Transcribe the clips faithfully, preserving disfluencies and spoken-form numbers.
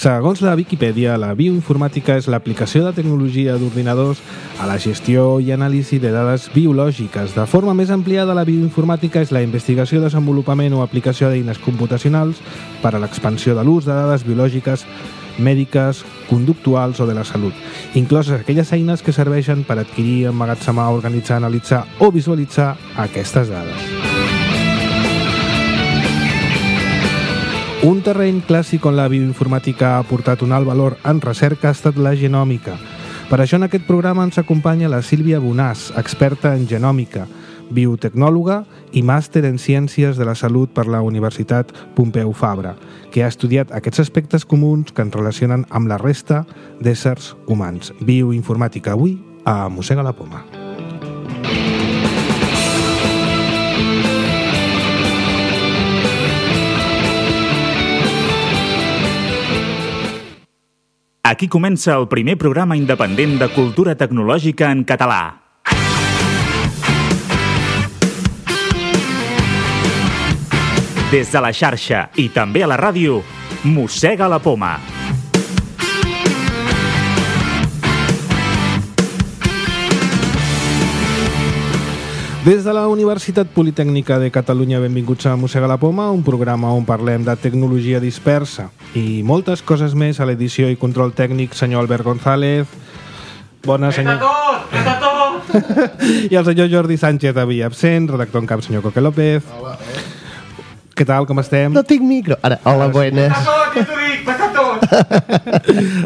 Segons la Viquipèdia, la bioinformàtica és l'aplicació de tecnologia d'ordinadors a la gestió i anàlisi de dades biològiques. De forma més ampliada, la bioinformàtica és la investigació, desenvolupament o aplicació d'eines computacionals per a l'expansió de l'ús de dades biològiques, mèdiques, conductuals o de la salut, incloses aquelles eines que serveixen per adquirir, emmagatzemar, organitzar, analitzar o visualitzar aquestes dades. Un terreny clàssic on la bioinformàtica ha aportat un alt valor en recerca ha estat la genòmica. Per això en aquest programa ens acompanya la Sílvia Bonàs, experta en genòmica, biotecnòloga i màster en Ciències de la Salut per la Universitat Pompeu Fabra, que ha estudiat aquests aspectes comuns que ens relacionen amb la resta d'éssers humans. Bioinformàtica avui a Mossega la Poma. Aquí comença el primer programa independent de cultura tecnològica en català. Des de la xarxa i també a la ràdio, Mossega la Poma. Des de la Universitat Politècnica de Catalunya, benvinguts a Mossega la Poma, un programa on parlem de tecnologia dispersa i moltes coses més. A l'edició i control tècnic, senyor Albert González. Bona, senyor... Vet a tot! Vet a tot! I el senyor Jordi Sánchez, avui absent, redactor en cap, senyor Coque López. Hola, eh? Què tal, com estem? No tinc micro. Ara, hola, buenas. Vet a tot, ja t'ho dic! Vet a tot!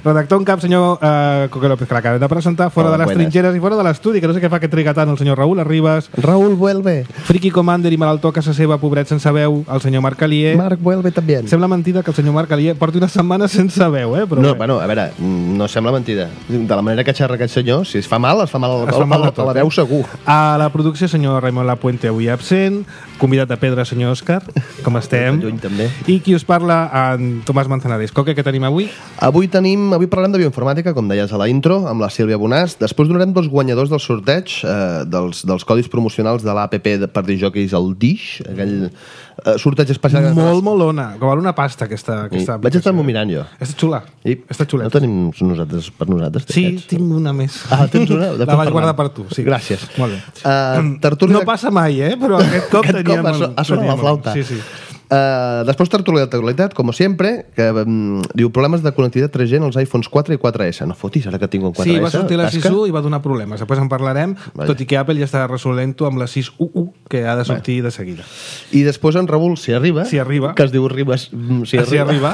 Redactor en cap, senyor uh, Coque López, que l'acabem de presentar, fora Hola, de les buenas. trinxeres i fora de l'estudi, que no sé què fa que triga tant el senyor Raül Arribas. Raúl vuelve. Friki Commander i malaltó a casa seva, pobret sense veu, el senyor Marc Alier. Marc vuelve també. Sembla mentida que el senyor Marc Alier porti una setmana sense veu, eh? Però No, bé. bueno, a veure, no sembla mentida. De la manera que xerra aquest senyor, si es fa mal, es fa mal, Es a, fa mal a, de a, tot, a la veu segur. A la producció, senyor Raimon Lapuente, avui absent. Convidat de pedra, senyor Òscar. Com estem? Lluny, també. I qui us parla, en Tomàs Manzanares. Coque, què tenim avui? Avui tenim, avui parlarem de bioinformàtica, com deies a la intro, amb la Sílvia Bonàs. Després donarem dos guanyadors del sorteig eh, dels, dels codis promocionals de l'A P P de, per disjòqueis, el Dish, aquell eh, sorteig especial. Molt, molt ona. Com val una pasta, aquesta, aquesta Vaig estar-m'ho mirant jo. Està xula. I Està xuleta. no tenim nosaltres per nosaltres? Sí, d'aquests? tinc una més. Ah, tens una? De La tot vaig parlant. guardar per tu. Sí. Gràcies. Molt bé. Uh, tertúlia... No passa mai, eh? Però aquest cop Aquest teníem... cop ha, so- ha sonat la flauta. Sí, sí. Uh, després tertúlia d'actualitat, com sempre, que um, diu problemes de connectivitat tres G en els iPhones quatre i quatre S. No fotis, ara que tinc un quatre S. Sí, va sortir la sis tasca. u i va donar problemes. Després en parlarem, Vaja. tot i que Apple ja està resolent-ho amb la sis u u, que ha de sortir de seguida. I després en Raül, si arriba, Si arriba. que es diu Ribas, mm, si Si arriba, arriba.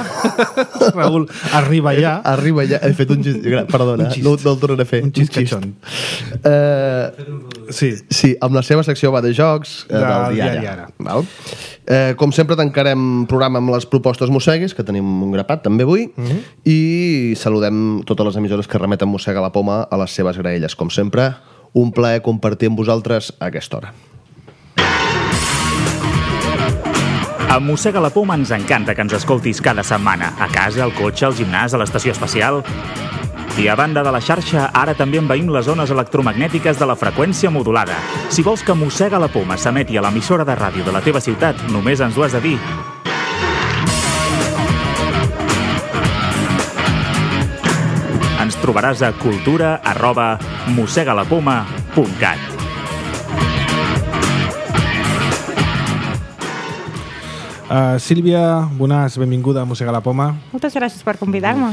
Raül, arriba ja. arriba ja. He fet un xist, gra- perdona, Un xist. no, no el tornaré a fer. Un xist catxon. Uh, Sí. sí, amb la seva secció va de jocs eh, Del del diari diari Ara. Val? Eh, com sempre tancarem programa amb les propostes mossegues, que tenim un grapat també avui, Uh -huh. i saludem totes les emissores que remeten Mossega la Poma a les seves graelles. Com sempre, un plaer compartir amb vosaltres a aquesta hora. A Mossega la Poma ens encanta que ens escoltis cada setmana, a casa, al cotxe, al gimnàs, a l'estació espacial. I a banda de la xarxa, ara també envaïm les zones electromagnètiques de la freqüència modulada. Si vols que Mossega la Poma s'emeti a l'emissora de ràdio de la teva ciutat, només ens ho has de dir. Ens trobaràs a cultura arroba mossegalapoma punt cat. Uh, Sílvia Bonàs, benvinguda a Mossega la Poma. Moltes gràcies per convidar-me.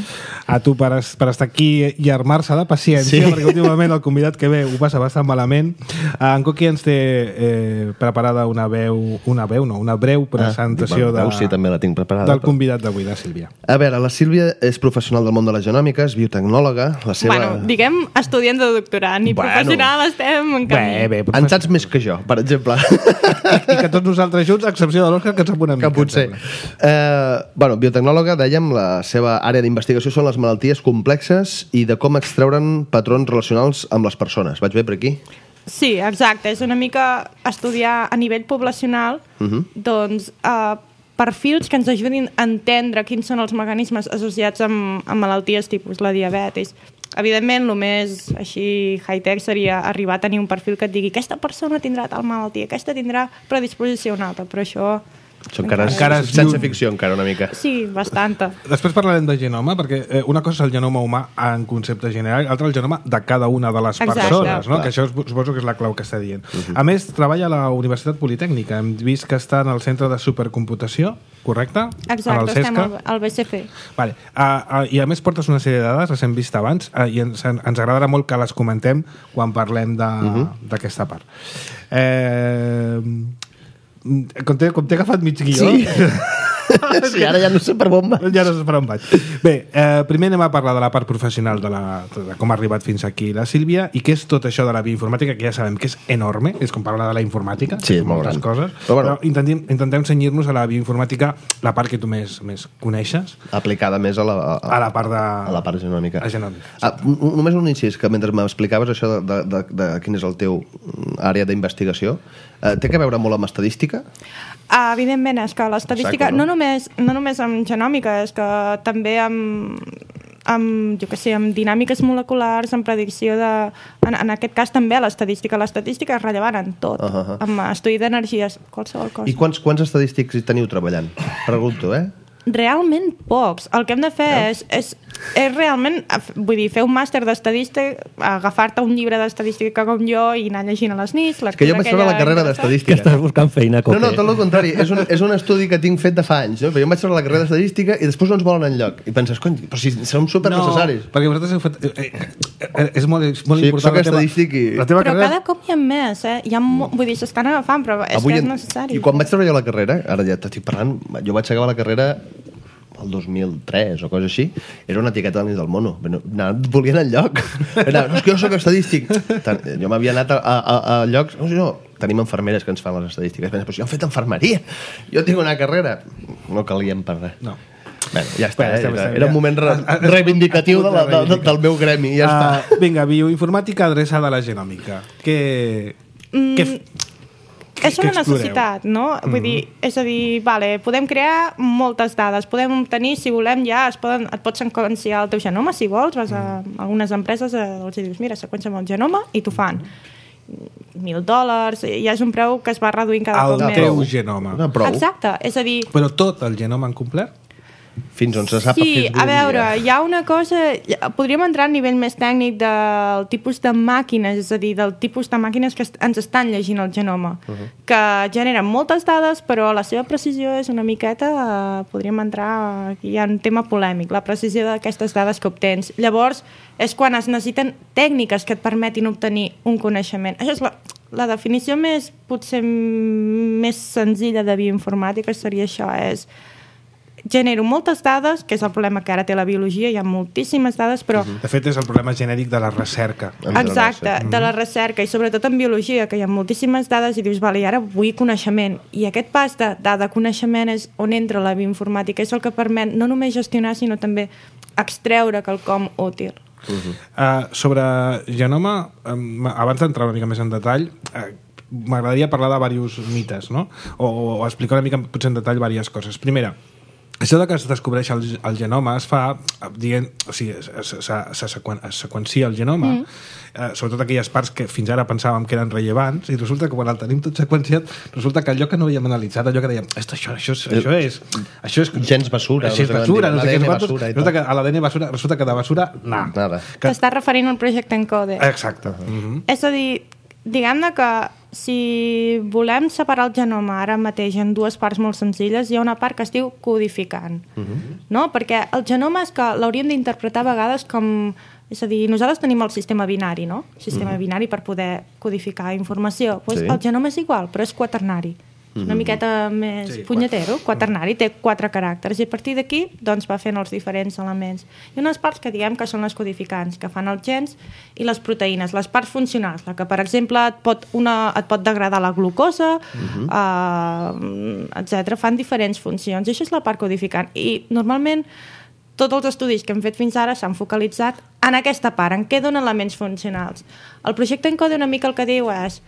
A tu per, es- per estar aquí i armar-se de paciència, Sí. perquè últimament el convidat que ve ho passa bastant malament. Uh, en Coqui ens té eh, preparada una veu, una veu no, una breu presentació Ah, de, bueno, sí, també la tinc preparada, del però- convidat d'avui, de Sílvia. A veure, la Sílvia és professional del món de la genòmica, és biotecnòloga, la seva... Bueno, diguem estudiant de doctorat, ni Bueno. professional estem en camí. Bé, bé, En saps més que jo, per exemple. I que tots nosaltres junts, a excepció de l'Òscar, que ens sap una mica. Que potser. em sembla. Eh, bueno, biotecnòloga, dèiem, la seva àrea d'investigació són les malalties complexes i de com extreure'n patrons relacionals amb les persones. Vaig bé per aquí? Sí, exacte. És una mica estudiar a nivell poblacional Uh -huh. doncs, eh, perfils que ens ajudin a entendre quins són els mecanismes associats amb, amb malalties tipus la diabetis. Evidentment, el més així high-tech seria arribar a tenir un perfil que et digui aquesta persona tindrà tal malaltia, aquesta tindrà predisposició a una altra, però això Això encara, Encara és és sense lluny. ficció, encara una mica. Sí, bastanta. Després parlarem de genoma, perquè eh, una cosa és el genoma humà en concepte general, l'altra el genoma de cada una de les Exacte. persones, no? Clar. Que això suposo que és la clau que està dient. Uh -huh. A més, treballa a la Universitat Politècnica. Hem vist que està en el Centre de Supercomputació, correcte? En el Exacte, estem CESCA. al, al B C F. Vale. Uh, uh, I a més portes una sèrie de dades, les hem vist abans, uh, i ens, ens agradarà molt que les comentem quan parlem d'aquesta uh -huh. part. Eh... Com t'he com t'he agafat mig guió... Sí. Sí, ara ja no sé per on va. Ja no sé per on vaig. Bé, eh, primer anem a parlar de la part professional, de, la, de com ha arribat fins aquí la Sílvia, i què és tot això de la bioinformàtica, que ja sabem que és enorme, és com parlar de la informàtica, Sí, és molt moltes gran. coses, Però però, bueno. però intentem, intentem cenyir-nos a la bioinformàtica, la part que tu més, més coneixes, Aplicada més a la, a, a la part de... a la part genòmica. A genòmica. Ah, n- només un incís, que mentre m'explicaves això de, de, de, de quin és el teu mm, àrea d'investigació, eh, té que veure molt amb estadística? Uh, evidentment, és que l'estadística, Exacte, no? no, només, no només amb genòmica, és que també amb, amb, jo què sé, amb dinàmiques moleculars, amb predicció de... En, en aquest cas també l'estadística. L'estadística és rellevant en tot. Uh -huh. Amb estudi d'energies, qualsevol cosa. I quants, quants estadístics hi teniu treballant? Pregunto, eh? Realment pocs. El que hem de fer és, és, és realment, vull dir, fer un màster d'estadística, agafar-te un llibre d'estadística com jo i anar llegint a les nits. És que jo vaig treure la carrera Que d'estadística. estàs buscant feina, No, Coque. no, tot el contrari. És un, és un estudi que tinc fet de fa anys. No? Però jo em vaig treure la carrera d'estadística i després no ens volen enlloc. I penses, cony, però si som super necessaris. perquè vosaltres heu fet... Eh, eh, és molt, és molt Sí, important soc la teva, estadístic i- la teva Però carrera... cada cop hi ha més, eh? Hi ha mo... Vull dir, s'estan agafant, però és Avui que és en- necessari. I quan vaig treure jo la carrera, ara ja t'estic parlant, jo vaig acabar la carrera el dos mil tres o cosa així, era una etiqueta del del mono. No, no volien enlloc. Era, no, és que jo soc estadístic. Tant, jo m'havia anat a, a, a llocs... No, no, tenim enfermeres que ens fan les estadístiques. Pensa, però si jo he fet enfermeria, jo tinc una carrera. No calien per res. No. Bueno, ja està, Bé, eh? estem- era, estem- era un moment re, reivindicatiu de la, de, de, del meu gremi, ja està. Uh, vinga, bioinformàtica adreçada a la genòmica. Què... Mm, què f- És què una exploreu? necessitat, no? Mm -hmm. Vull dir, és a dir, vale, podem crear moltes dades, podem obtenir, si volem ja, es poden, et pots seqüenciar el teu genoma, si vols, vas a algunes empreses, eh, els dius, mira, seqüencia'm el genoma, i t'ho fan. Mil dòlars, ja és un preu que es va reduint cada El cop més. teu genoma. No, prou. Exacte, és a dir, Però tot el genoma en complet? Fins on se sap sí, a Facebook. a veure, hi ha una cosa... Podríem entrar a nivell més tècnic del tipus de màquines, és a dir, del tipus de màquines que est- ens estan llegint el genoma, uh -huh. que generen moltes dades, però la seva precisió és una miqueta... Eh, podríem entrar... Aquí hi ha un tema polèmic, la precisió d'aquestes dades que obtens. Llavors, és quan es necessiten tècniques que et permetin obtenir un coneixement. Això és la, la definició més, potser, més senzilla de bioinformàtica seria això, és... genero moltes dades, que és el problema que ara té la biologia, hi ha moltíssimes dades, però... De fet, és el problema genèric de la recerca. Exacte, de la recerca, i sobretot en biologia, que hi ha moltíssimes dades i dius, vale, i ara vull coneixement. I aquest pas de dada-coneixement és on entra la bioinformàtica, és el que permet no només gestionar, sinó també extreure quelcom útil. Uh -huh. uh, sobre genoma, um, abans d'entrar una mica més en detall, uh, m'agradaria parlar de diversos mites, no? O, o explicar una mica potser en detall diverses coses. Primera, això de que es descobreix el, el genoma es fa dient, o sigui, se, se, se, sequen, es seqüencia el genoma, mm. eh, sobretot aquelles parts que fins ara pensàvem que eren rellevants, i resulta que quan el tenim tot seqüenciat, resulta que allò que no havíem analitzat, allò que dèiem, esto, això, això, és, això és... Això és Gens basura, Això és no sé basura, com no sé què diuen, és l'A D N quantos, basura i resulta tal. que a l'A D N basura, resulta que de basura, nah. Nada. Que, T'estàs referint al projecte ENCODE. exacte. Uh-huh. És a dir, diguem-ne que si volem separar el genoma ara mateix en dues parts molt senzilles, hi ha una part que es diu codificant, uh -huh. no? Perquè el genoma és que l'hauríem d'interpretar a vegades com... És a dir, nosaltres tenim el sistema binari, no? El sistema uh -huh. binari per poder codificar informació. Pues Sí. el genoma és igual, però és quaternari. És una miqueta més Sí, punyetero, quaternari, té quatre caràcters, i a partir d'aquí doncs, va fent els diferents elements. Hi ha unes parts que diguem que són les codificants, que fan els gens i les proteïnes, les parts funcionals, la que, per exemple, et pot, una, et pot degradar la glucosa, uh-huh. uh, etcètera. Fan diferents funcions, i això és la part codificant. I normalment tots els estudis que hem fet fins ara s'han focalitzat en aquesta part, en què donen elements funcionals. El projecte ENCODE una mica el que diu és,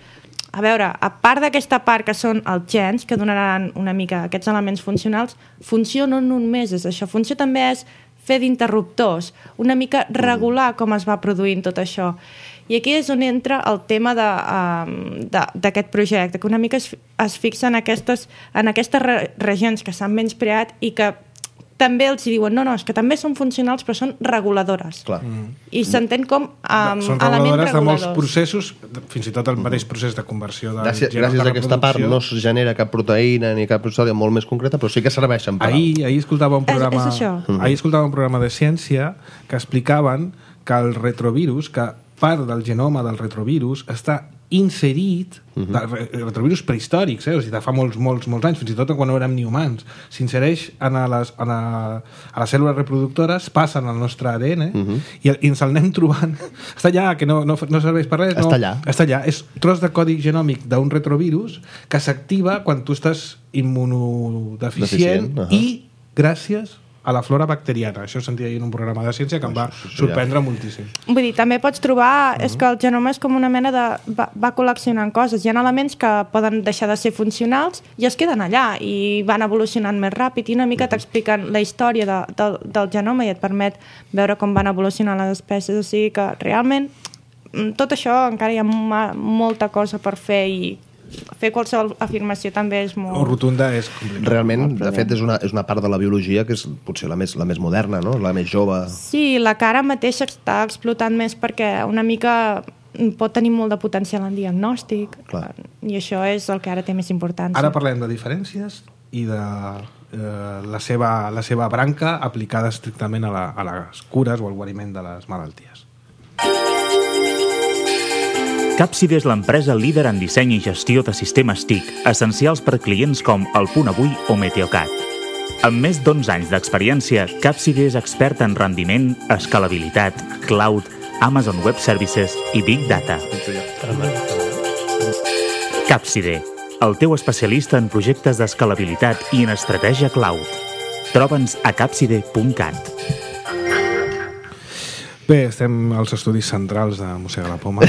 a veure, a part d'aquesta part que són els gens, que donaran una mica aquests elements funcionals, funció no només és això, funció també és fer d'interruptors, una mica regular com es va produint tot això. I aquí és on entra el tema d'aquest projecte, que una mica es, es fixa en aquestes, en aquestes re, regions que s'han menyspreat i que també els diuen, no, no, és que també són funcionals però són reguladores. Clar. I s'entén com um, són reguladores de molts processos, fins i tot el mateix procés de conversió de gràcies, gràcies a aquesta part no es genera cap proteïna ni cap història molt més concreta, però sí que serveixen per ahir, ahir escoltava un programa és, és ahir escoltava un programa de ciència que explicaven que el retrovirus, que part del genoma del retrovirus està inserit, uh -huh. de retrovirus prehistòrics, eh? O sigui, de fa molts, molts, molts anys, fins i tot quan no érem ni humans, s'insereix en a les, en a, a les cèl·lules reproductores, passen al nostre A D N, uh -huh. i, i ens el anem trobant. Està allà, que no, no, no serveix per res. No, està allà. Està allà. És tros de codi genòmic d'un retrovirus que s'activa quan tu estàs immunodeficient uh -huh. i gràcies a la flora bacteriana. Això ho sentia en un programa de ciència que em va sorprendre moltíssim. Vull dir, també pots trobar... Uh-huh. És que el genoma és com una mena de... Va, va col·leccionant coses. Hi ha elements que poden deixar de ser funcionals i es queden allà i van evolucionant més ràpid i una mica uh-huh. t'expliquen la història de, de, del genoma i et permet veure com van evolucionar les espècies. O sigui que realment tot això encara hi ha ma, molta cosa per fer i fer qualsevol afirmació també és molt... O rotunda és complicat. Realment, de fet, és una, és una part de la biologia que és potser la més, la més moderna, no? La més jove. Sí, la que ara mateix està explotant més perquè una mica pot tenir molt de potencial en diagnòstic. Clar. I això és el que ara té més importància. Ara parlem de diferències i de eh, la, seva, la seva branca aplicada estrictament a, la, a les cures o al guariment de les malalties. Capside és l'empresa líder en disseny i gestió de sistemes T I C, essencials per clients com El Punt Avui o Meteocat. Amb més d'onze anys d'experiència, Capside és experta en rendiment, escalabilitat, cloud, Amazon Web Services i Big Data. Capside, el teu especialista en projectes d'escalabilitat i en estratègia cloud. Troba'ns a capside punt cat. Bé, estem als estudis centrals de Mossega la Poma.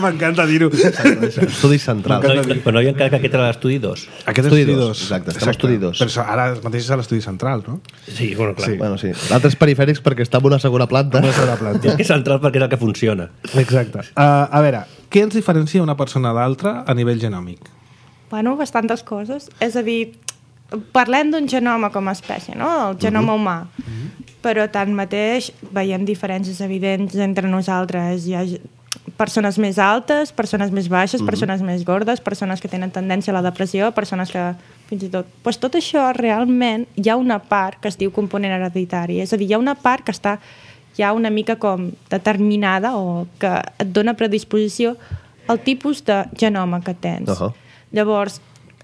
M'encanta dir-ho. Estudis centrals. Però no, però no hi ha encara que aquest era l'estudi dos. Aquest és l'estudi dos. Exacte, estem a l'estudi dos. Però ara mateix és a l'estudi central, no? Sí, bueno, clar. Sí. Bueno, sí. L'altre és perifèrics perquè està en una segona planta. Una segona planta. És que és central perquè és el que funciona. Exacte. Uh, a veure, què ens diferencia una persona d'altra a nivell genòmic? Bueno, bastantes coses. És a dir, parlem d'un genoma com a espècie, no? El genoma uh-huh. humà. Uh-huh. Però tanmateix veiem diferències evidents entre nosaltres. Hi ha persones més altes, persones més baixes, uh-huh. persones més gordes, persones que tenen tendència a la depressió, persones que fins i tot... Pues tot això realment hi ha una part que es diu component hereditari. És a dir, hi ha una part que està ja una mica com determinada o que et dona predisposició al tipus de genoma que tens. Uh-huh. Llavors,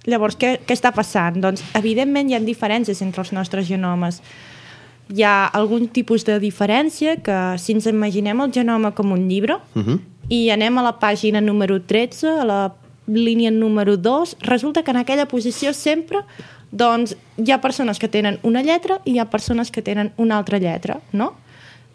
llavors què, què està passant? Doncs, evidentment, hi ha diferències entre els nostres genomes. Hi ha algun tipus de diferència que, si ens imaginem el genoma com un llibre uh-huh. i anem a la pàgina número tretze, a la línia número dos, resulta que en aquella posició sempre doncs, hi ha persones que tenen una lletra i hi ha persones que tenen una altra lletra, no?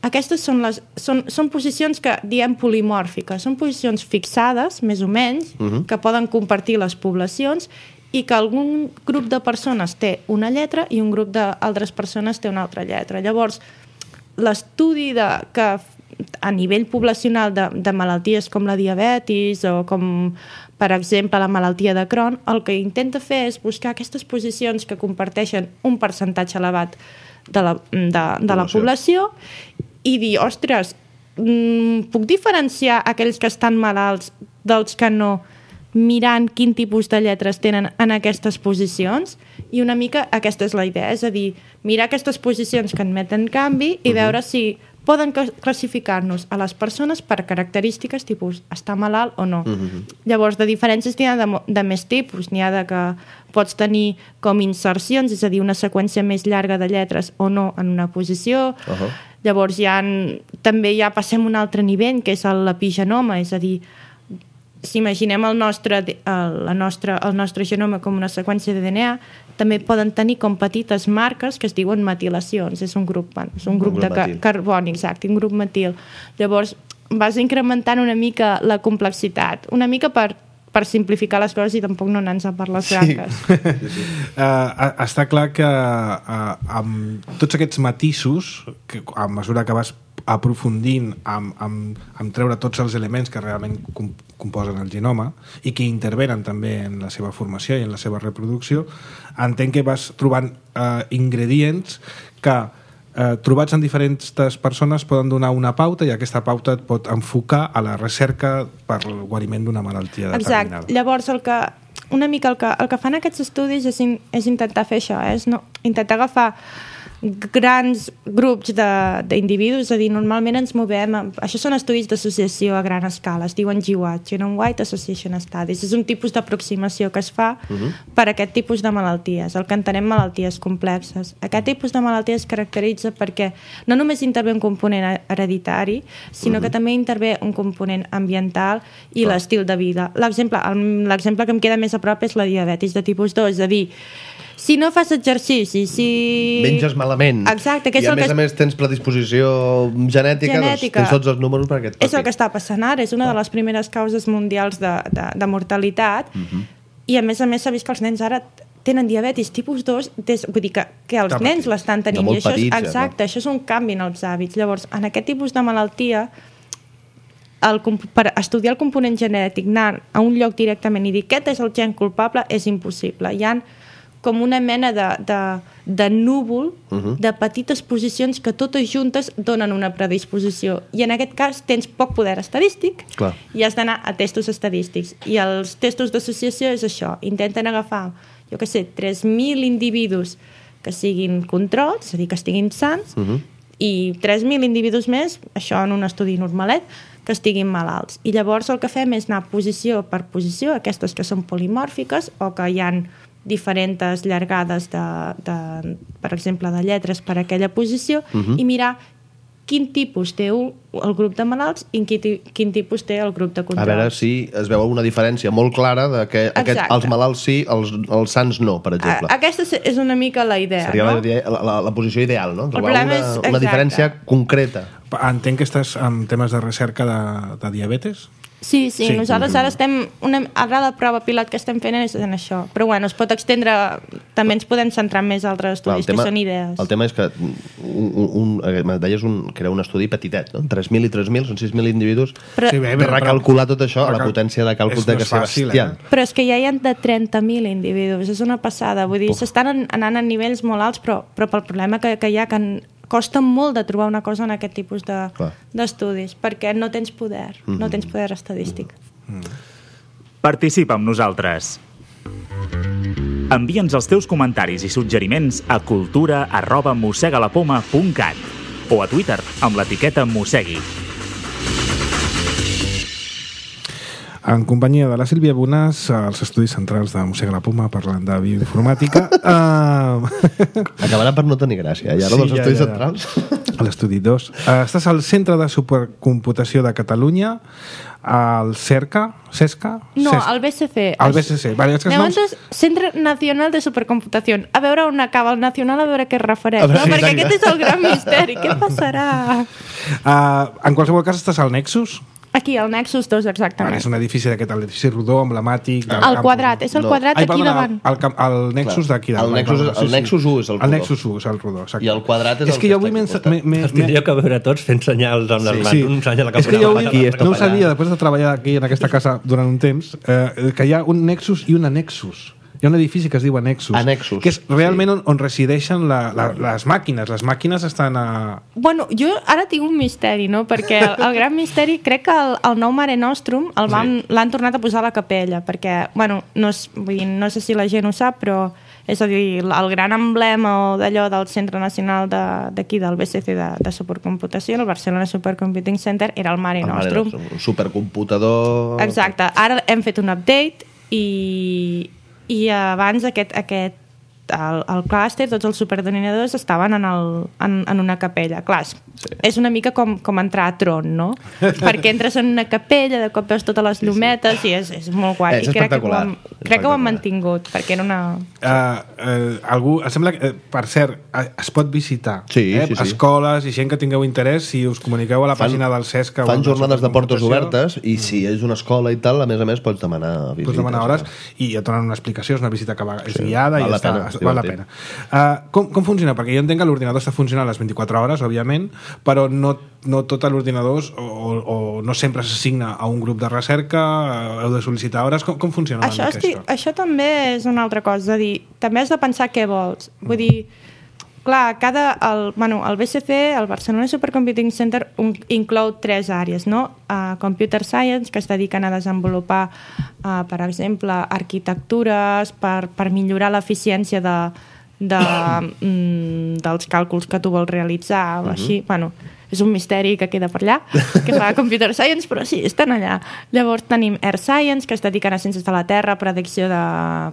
Aquestes són, les, són, són posicions que diem polimòrfiques, són posicions fixades, més o menys, uh-huh. que poden compartir les poblacions i que algun grup de persones té una lletra i un grup d'altres persones té una altra lletra. Llavors, l'estudi de, que a nivell poblacional de, de malalties com la diabetis o com, per exemple, la malaltia de Crohn, el que intenta fer és buscar aquestes posicions que comparteixen un percentatge elevat de la, de, de la població i dir, ostres, puc diferenciar aquells que estan malalts dels que no, mirant quin tipus de lletres tenen en aquestes posicions, i una mica aquesta és la idea, és a dir, mirar aquestes posicions que admeten canvi i veure si poden classificar-nos a les persones per característiques tipus estar malalt o no. Uh-huh. Llavors, de diferències n'hi ha de, de més tipus, n'hi ha de que pots tenir com insercions, és a dir, una seqüència més llarga de lletres o no en una posició. Uh-huh. Llavors, hi ha, també ja passem a un altre nivell, que és l'epigenoma, és a dir, si imaginem el nostre, el, la nostra, el nostre genoma com una seqüència de D N A, també poden tenir com petites marques que es diuen metilacions. És un grup, és un grup, un grup de ca- carboni, exacte, un grup metil. Llavors, vas incrementant una mica la complexitat, una mica per, per simplificar les coses i tampoc no anar-nos per les branques. Sí. Sí, sí. Uh, està clar que uh, amb tots aquests matisos, que a mesura que vas aprofundint amb, amb, amb treure tots els elements que realment com, composen el genoma i que intervenen també en la seva formació i en la seva reproducció, entenc que vas trobant uh, ingredients que eh, trobats en diferents persones poden donar una pauta i aquesta pauta et pot enfocar a la recerca per el guariment d'una malaltia determinada. Exacte. Llavors, el que, una mica el que, el que fan aquests estudis és, in, és intentar fer això, eh? És no, intentar agafar grans grups d'individus, és a dir, normalment ens movem, amb, això són estudis d'associació a gran escala, es diuen G W A T, Genome Wide Association Studies, és un tipus d'aproximació que es fa uh-huh. per a aquest tipus de malalties, el que entenem malalties complexes. Aquest tipus de malalties es caracteritza perquè no només intervé un component hereditari, sinó uh-huh. que també intervé un component ambiental i oh. l'estil de vida. L'exemple l'exemple que em queda més a prop és la diabetis de tipus dos, és a dir, si no fas exercici, si... menges malament. Exacte, que és i a el més que... a més tens predisposició genètica, genètica. Doncs tens tots els números per aquest És el que està passant ara, és una de les primeres causes mundials de, de, de mortalitat uh-huh. i a més a més s'ha vist que els nens ara tenen diabetis tipus dos, des, vull dir que, que els Està nens l'estan tenint. I això és, petits, exacte, ja, no? Això és un canvi en els hàbits. Llavors, en aquest tipus de malaltia, el, per estudiar el component genètic, anar a un lloc directament i dir aquest és el gen culpable és impossible. Hi ha com una mena de, de, de núvol uh-huh. de petites posicions que totes juntes donen una predisposició. I en aquest cas tens poc poder estadístic Clar. I has d'anar a testos estadístics. I els testos d'associació és això. Intenten agafar, jo què sé, tres mil individus que siguin controls, és a dir, que estiguin sants, uh-huh. i tres mil individus més, això en un estudi normalet, que estiguin malalts. I llavors el que fem és anar posició per posició, aquestes que són polimòrfiques o que hi ha diferents llargades de, de, per exemple, de lletres per a aquella posició uh-huh. i mirar quin tipus té un, el grup de malalts i quin, quin tipus té el grup de controls. A veure si es veu una diferència molt clara de que aquest, els malalts sí, els, els sants no, per exemple. A, aquesta és una mica la idea, Seria no? la, la, la posició ideal, no? Trobar una, és, una diferència concreta. Entenc que estàs en temes de recerca de, de diabetes? Sí, sí, sí, nosaltres ara estem... Una, ara la prova pilot que estem fent és en això. Però bueno, es pot extendre... També ens podem centrar en més altres estudis, tema, que són idees. El tema és que un, un, un, deies un, que era un estudi petitet, no? tres mil i tres mil, són sis mil individus. Però, sí, bé, bé, recalcular tot això, la potència de càlcul de que ser bestial. Eh? Però és que ja hi ha de trenta mil individus, és una passada. Vull dir, s'estan anant a nivells molt alts, però, però pel problema que, que hi ha, que costa molt de trobar una cosa en aquest tipus d'estudis, de, perquè no tens poder, mm-hmm. no tens poder estadístic. Mm-hmm. Participa amb nosaltres. Envia'ns els teus comentaris i suggeriments a cultura arroba mossegalapoma punt cat o a Twitter amb l'etiqueta mossegui. En companyia de la Sílvia Bonàs, als estudis centrals de Mossega la Poma, parlant de bioinformàtica. Uh... Acabarà per no tenir gràcia, ja, no, sí, dels ja, estudis ja, ja. centrals? A l'estudi dos. Uh, estàs al Centre de Supercomputació de Catalunya, al CERCA, CESCA? No, CESCA. al B C C. Al B C C. Vale, és que noms... Centre Nacional de Supercomputació. A veure on acaba el nacional, a veure què es refereix. Veure, no? sí, Perquè exacte. aquest és el gran misteri. Què passarà? Uh, en qualsevol cas, estàs al Nexus? Aquí, al Nexus dos, exactament. Ah, és un edifici d'aquest, edifici rodó, emblemàtic... El campus. Quadrat, és el no. quadrat Ai, aquí perdona, davant. El, el, el Nexus Clar. d'aquí davant. El Nexus, el, el Nexus u és el rodó. El Nexus u és el rodó, exacte. I el quadrat és, és el que jo avui m'he... Els tindríeu que veure tots fent senyals amb les mans. Sí. Un senyal cap és que jo avui aquí, no ho sabia, després de treballar aquí en aquesta casa durant un temps, eh, que hi ha un Nexus i un Annexus. Hi ha un edifici que es diu Annexus, Annexus que és realment sí. on, on resideixen la, la, les màquines. Les màquines estan a... Bueno, jo ara tinc un misteri, no? Perquè el, el gran misteri, crec que el, el nou Mare Nostrum el van, sí. l'han tornat a posar a la capella, perquè, bueno, no, és, vull dir, no sé si la gent ho sap, però és a dir, el gran emblema d'allò del Centre Nacional d'aquí, de, del B C C de, de Supercomputació, el Barcelona Supercomputing Center, era el Mare el Nostrum. Mare Nostrum, un supercomputador... Exacte. Ara hem fet un update i... i abans aquest, aquest el, el clúster, tots els superdenominadors estaven en, el, en, en una capella. Clar, sí. És una mica com, com entrar a Tron, no? Perquè entres en una capella, de cop veus totes les llumetes i és, és molt guai. És espectacular. crec que ho han mantingut, perquè era una... Uh, uh, algú, em sembla que, uh, per cert, uh, es pot visitar sí, eh? sí, sí. escoles i gent que tingueu interès, si us comuniqueu a la fan, pàgina del Cesc. Fan jornades de portes obertes i si és una escola i tal, a més a més pots demanar visites. Pots demanar hores i et donen una explicació, és una visita que va, és sí, guiada i val ja està, pena, val la pena. Uh, com, com funciona? Perquè jo entenc que l'ordinador està funcionant les vint-i-quatre hores, òbviament, però no, no tot l'ordinador o, o no sempre s'assigna a un grup de recerca, heu de sol·licitar hores, com, com funciona? Això, estic, això també és una altra cosa, dir, també has de pensar què vols. Vull dir, clar, cada, el, bueno, el B C C, el Barcelona Supercomputing Center, un, inclou tres àrees, no? Uh, Computer Science, que es dediquen a desenvolupar, uh, per exemple, arquitectures per, per millorar l'eficiència de, de, mm, dels càlculs que tu vols realitzar, o així, uh-huh. bueno, és un misteri que queda per allà, que fa Computer Science, però sí, estan allà. Llavors tenim Earth Science, que es dediquen a ciències de la Terra, predicció de...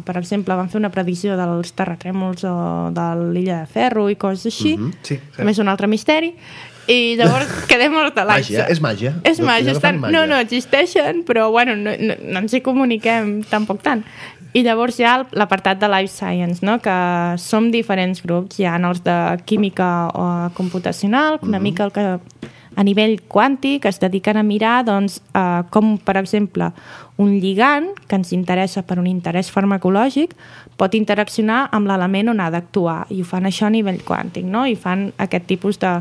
Per exemple, van fer una predicció dels terratrèmols o de l'illa de Ferro i coses així. Mm-hmm. Sí, sí. Més un altre misteri. I llavors quedem hors de l'aigua. Màgia, és màgia. És màgia. Estan... No, no, existeixen, però bueno, no, no, no ens hi comuniquem tampoc tant. I llavors hi ha l'apartat de Life Science, no? Que som diferents grups. Hi ha els de química o computacional, una mm-hmm. mica el que a nivell quàntic es dediquen a mirar doncs, eh, com, per exemple, un lligand que ens interessa per un interès farmacològic pot interaccionar amb l'element on ha d'actuar, i ho fan això a nivell quàntic, no? I fan aquest tipus de,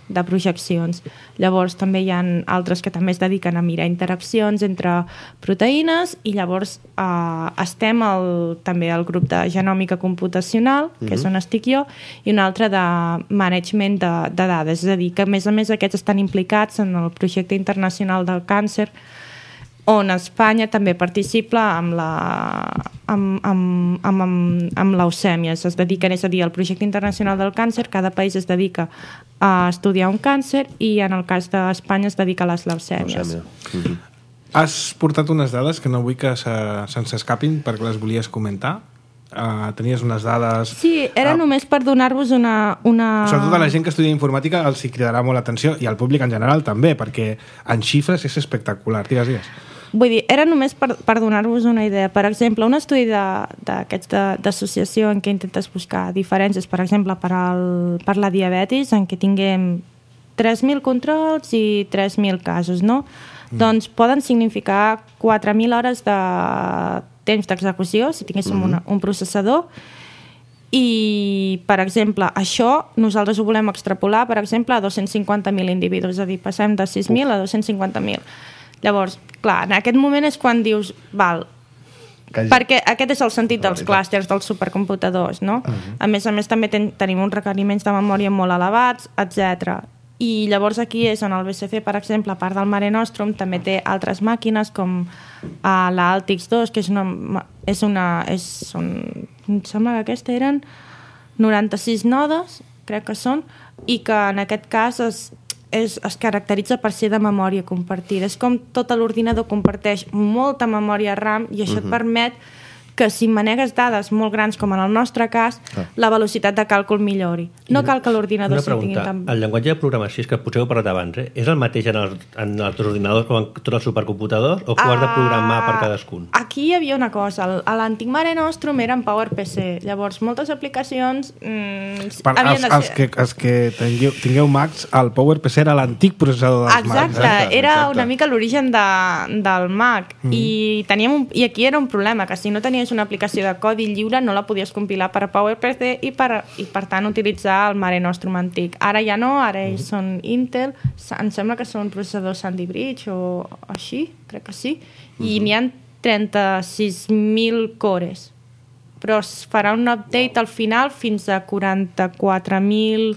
de projeccions. Llavors també hi ha altres que també es dediquen a mirar interaccions entre proteïnes, i llavors eh, estem el, també al grup de genòmica computacional, que mm-hmm. és on estic jo, i un altre de management de, de dades, és a dir, que a més a més aquests estan implicats en el projecte internacional del càncer, on Espanya també participa amb la amb, amb, amb, amb, amb leucèmia. Es dediquen, és a dir, al projecte internacional del càncer, cada país es dedica a estudiar un càncer, i en el cas d'Espanya es dedica a les leucèmies. Leucèmia. Mm-hmm. Has portat unes dades que no vull que se, se'ns escapin perquè les volies comentar. Uh, tenies unes dades... Sí, era uh, només per donar-vos una, una... Sobretot a la gent que estudia informàtica els hi cridarà molt l'atenció, i al públic en general també, perquè en xifres és espectacular. Digues, digues. Vull dir, era només per, per donar-vos una idea. Per exemple, un estudi d'aquests d'associació en què intentes buscar diferències, per exemple, per, al, per la diabetis, en què tinguem tres mil controls i tres mil casos, no? Mm. Doncs poden significar quatre mil hores de temps d'execució, si tinguéssim mm-hmm. una, un processador, i, per exemple, això nosaltres ho volem extrapolar, per exemple, a dos-cents cinquanta mil individus, és a dir, passem de sis mil a dos-cents cinquanta mil. Llavors, clar, en aquest moment és quan dius, val, Quasi. perquè aquest és el sentit dels clústers, dels supercomputadors, no? Uh-huh. A més a més, també ten, tenim uns requeriments de memòria molt elevats, etcètera. I llavors aquí és on el B C C, per exemple, a part del Mare Nostrum, també té altres màquines com uh, la Altix dos, que és una... És una és un, em sembla que aquesta eren noranta-sis nodes, crec que són, i que en aquest cas es, és, es caracteritza per ser de memòria compartida. És com tot l'ordinador comparteix molta memòria RAM, i això uh-huh. et permet que si manegues dades molt grans, com en el nostre cas, ah. la velocitat de càlcul millori. No cal que l'ordinador sigui tingui tan... El llenguatge de programació, que potser heu parlat abans, eh? és el mateix en els, en els ordinadors com en tots els supercomputadors, o que ho has de programar per cadascun? Aquí hi havia una cosa. A l'antic Mare Nostrum era en PowerPC. Llavors, moltes aplicacions mm, per, havien els, de ser... Els que, els que tingueu, tingueu Macs, el PowerPC era l'antic processador dels exacte, Macs. Exacte, era exacte. Una mica l'origen de, del Mac. Mm. I, teníem un, I aquí era un problema, que si no tenies una aplicació de codi lliure no la podies compilar per a PowerPC i per, i per tant utilitzar el Mare Nostrum antic. Ara ja no, ara ells mm-hmm. són Intel, em sembla que són processadors Sandy Bridge o així, crec que sí, mm-hmm. i n'hi ha trenta-sis mil cores, però es farà un update al final fins a quaranta-quatre mil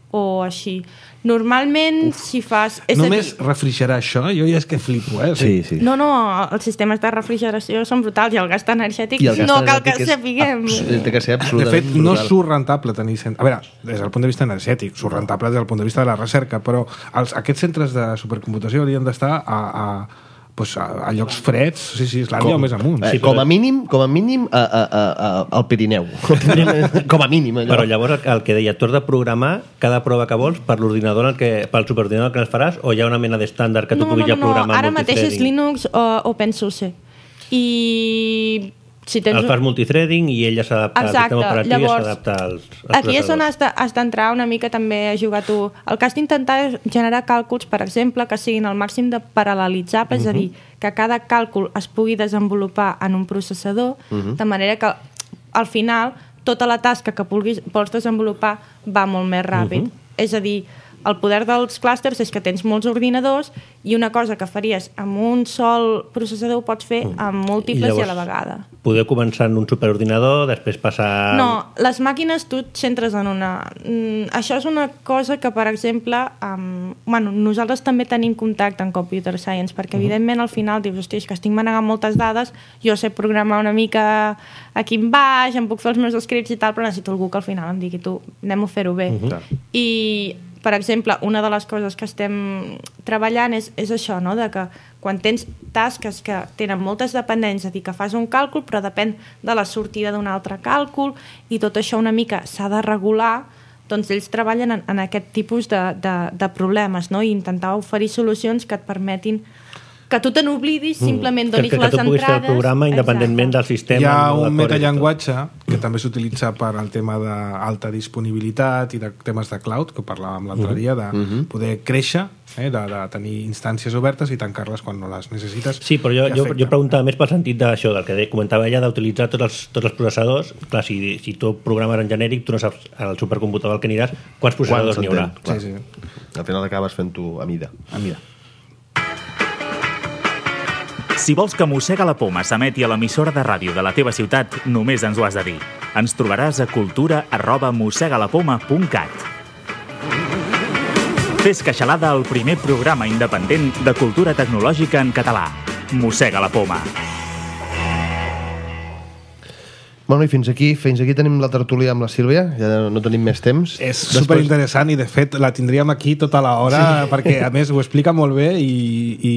o així. Normalment, Uf. si fas... És Només dir... refrigerar això, jo ja és que flipo, eh? Sí, sí. No, no, els sistemes de refrigeració són brutals, i el gast energètic el gast no cal energètic que sapiguem. Té que ser absolutament De fet, brutal. no surt rentable tenir... Cent... A veure, des del punt de vista energètic, surt rentable des del punt de vista de la recerca, però els, aquests centres de supercomputació haurien d'estar a... a pues a, a llocs freds, sí, sí, Islàndia o més amunt. Eh, sí, com a mínim, com a mínim a, a, a, a, al Pirineu. Com a mínim. Allò. Però llavors el, el que deia, tu has de programar cada prova que vols per l'ordinador, el que, pel superordinador que els faràs, o hi ha una mena d'estàndard que tu no, puguis no, ja programar no, ara mateix és Linux o OpenSUSE. I si tens... El fas multithreading i ella s'adapta al sistema operatiu i s'adapta als, als aquí és on has d'entrar una mica també a jugar tu. El que has d'intentar és generar càlculs, per exemple, que siguin el màxim de paral·lelitzables, uh -huh. és a dir, que cada càlcul es pugui desenvolupar en un processador, uh -huh. de manera que al final tota la tasca que vulguis, vols desenvolupar va molt més ràpid. Uh -huh. És a dir, el poder dels clústers és que tens molts ordinadors i una cosa que faries amb un sol processador ho pots fer amb múltiples i, llavors, i a la vegada. Podeu començar en un superordinador, després passar... No, les màquines tu et centres en una... Mm, això és una cosa que, per exemple, um, bueno, nosaltres també tenim contacte en Computer Science, perquè, uh -huh. evidentment, al final dius, hòstia, és que estic manegant moltes dades, jo sé programar una mica aquí en baix, em puc fer els meus scripts i tal, però necessito algú que al final em digui, tu, anem a fer-ho bé. Uh -huh. I... per exemple, una de les coses que estem treballant és, és això, no? De que quan tens tasques que tenen moltes dependències, és a dir, que fas un càlcul però depèn de la sortida d'un altre càlcul i tot això una mica s'ha de regular, doncs ells treballen en, en aquest tipus de, de, de problemes, no? I intentar oferir solucions que et permetin que tu te n'oblidis, simplement donis que, que, les que tu puguis entrades... fer el programa independentment del sistema. Hi ha un metallenguatge que també s'utilitza per al tema d'alta disponibilitat i de temes de cloud, que parlàvem l'altre dia, de uh-huh. poder créixer, eh, de, de tenir instàncies obertes i tancar-les quan no les necessites. Sí, però jo, jo, jo preguntava més pel sentit d'això, del que comentava ella, d'utilitzar tots els, tots els processadors. Clar, si, si tu programes en genèric, tu no saps al supercomputador al que aniràs quants processadors n'hi haurà. Sí, sí. Al final acabes fent-ho a mida. A mida. Si vols que Mossega la Poma s'emeti a l'emissora de ràdio de la teva ciutat, només ens ho has de dir. Ens trobaràs a cultura arroba mossegalapoma punt cat. Fes queixalada al primer programa independent de cultura tecnològica en català. Mossega la Poma. Bueno, i fins aquí, fins aquí tenim la tertúlia amb la Sílvia, ja no tenim més temps. És Després... superinteressant i de fet la tindríem aquí tota l'hora sí. perquè a més ho explica molt bé i, i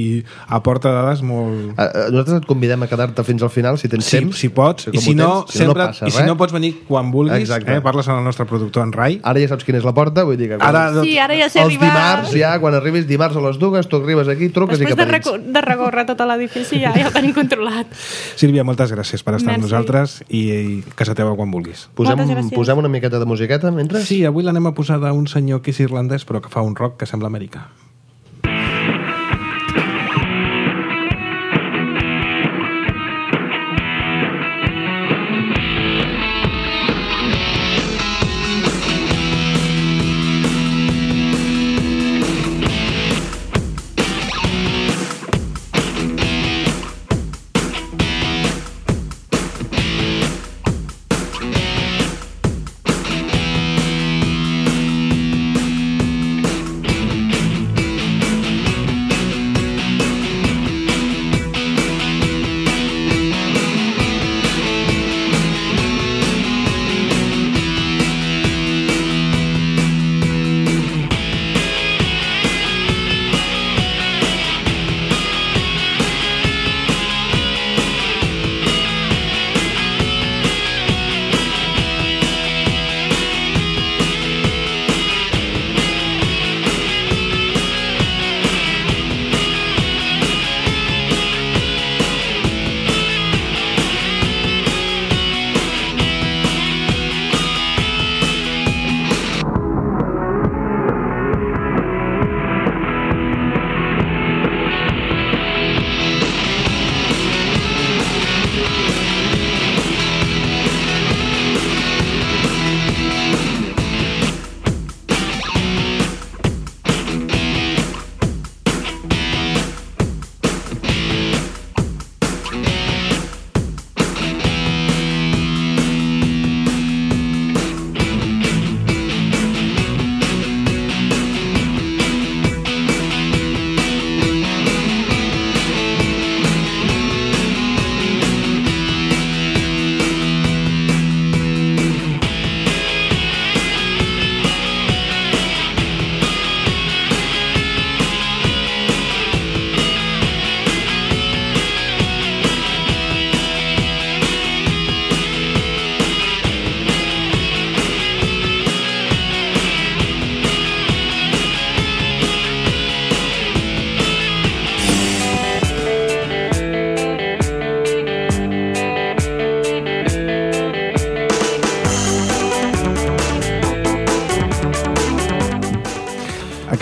aporta dades molt... A, nosaltres et convidem a quedar-te fins al final si tens sí, temps. Si pots, i si no, tens, si sempre, no passa, i si no pots venir quan vulguis, eh, parles amb el nostre productor en Rai. Ara ja saps quina és la porta, vull dir que... Quan... Ara, sí, ara ja sé els arribar... dimarts, ja, quan arribis dimarts a les dues, tu arribes aquí, truques Després i cap a dins. Després de, de recórrer tot l'edifici ja, ja ho tenim controlat. Sílvia, moltes gràcies per estar Merci. amb nosaltres i, i casa teva quan vulguis. Posem, posem una miqueta de musiqueta mentre? Sí, avui l'anem a posar d'un senyor que és irlandès però que fa un rock que sembla americà.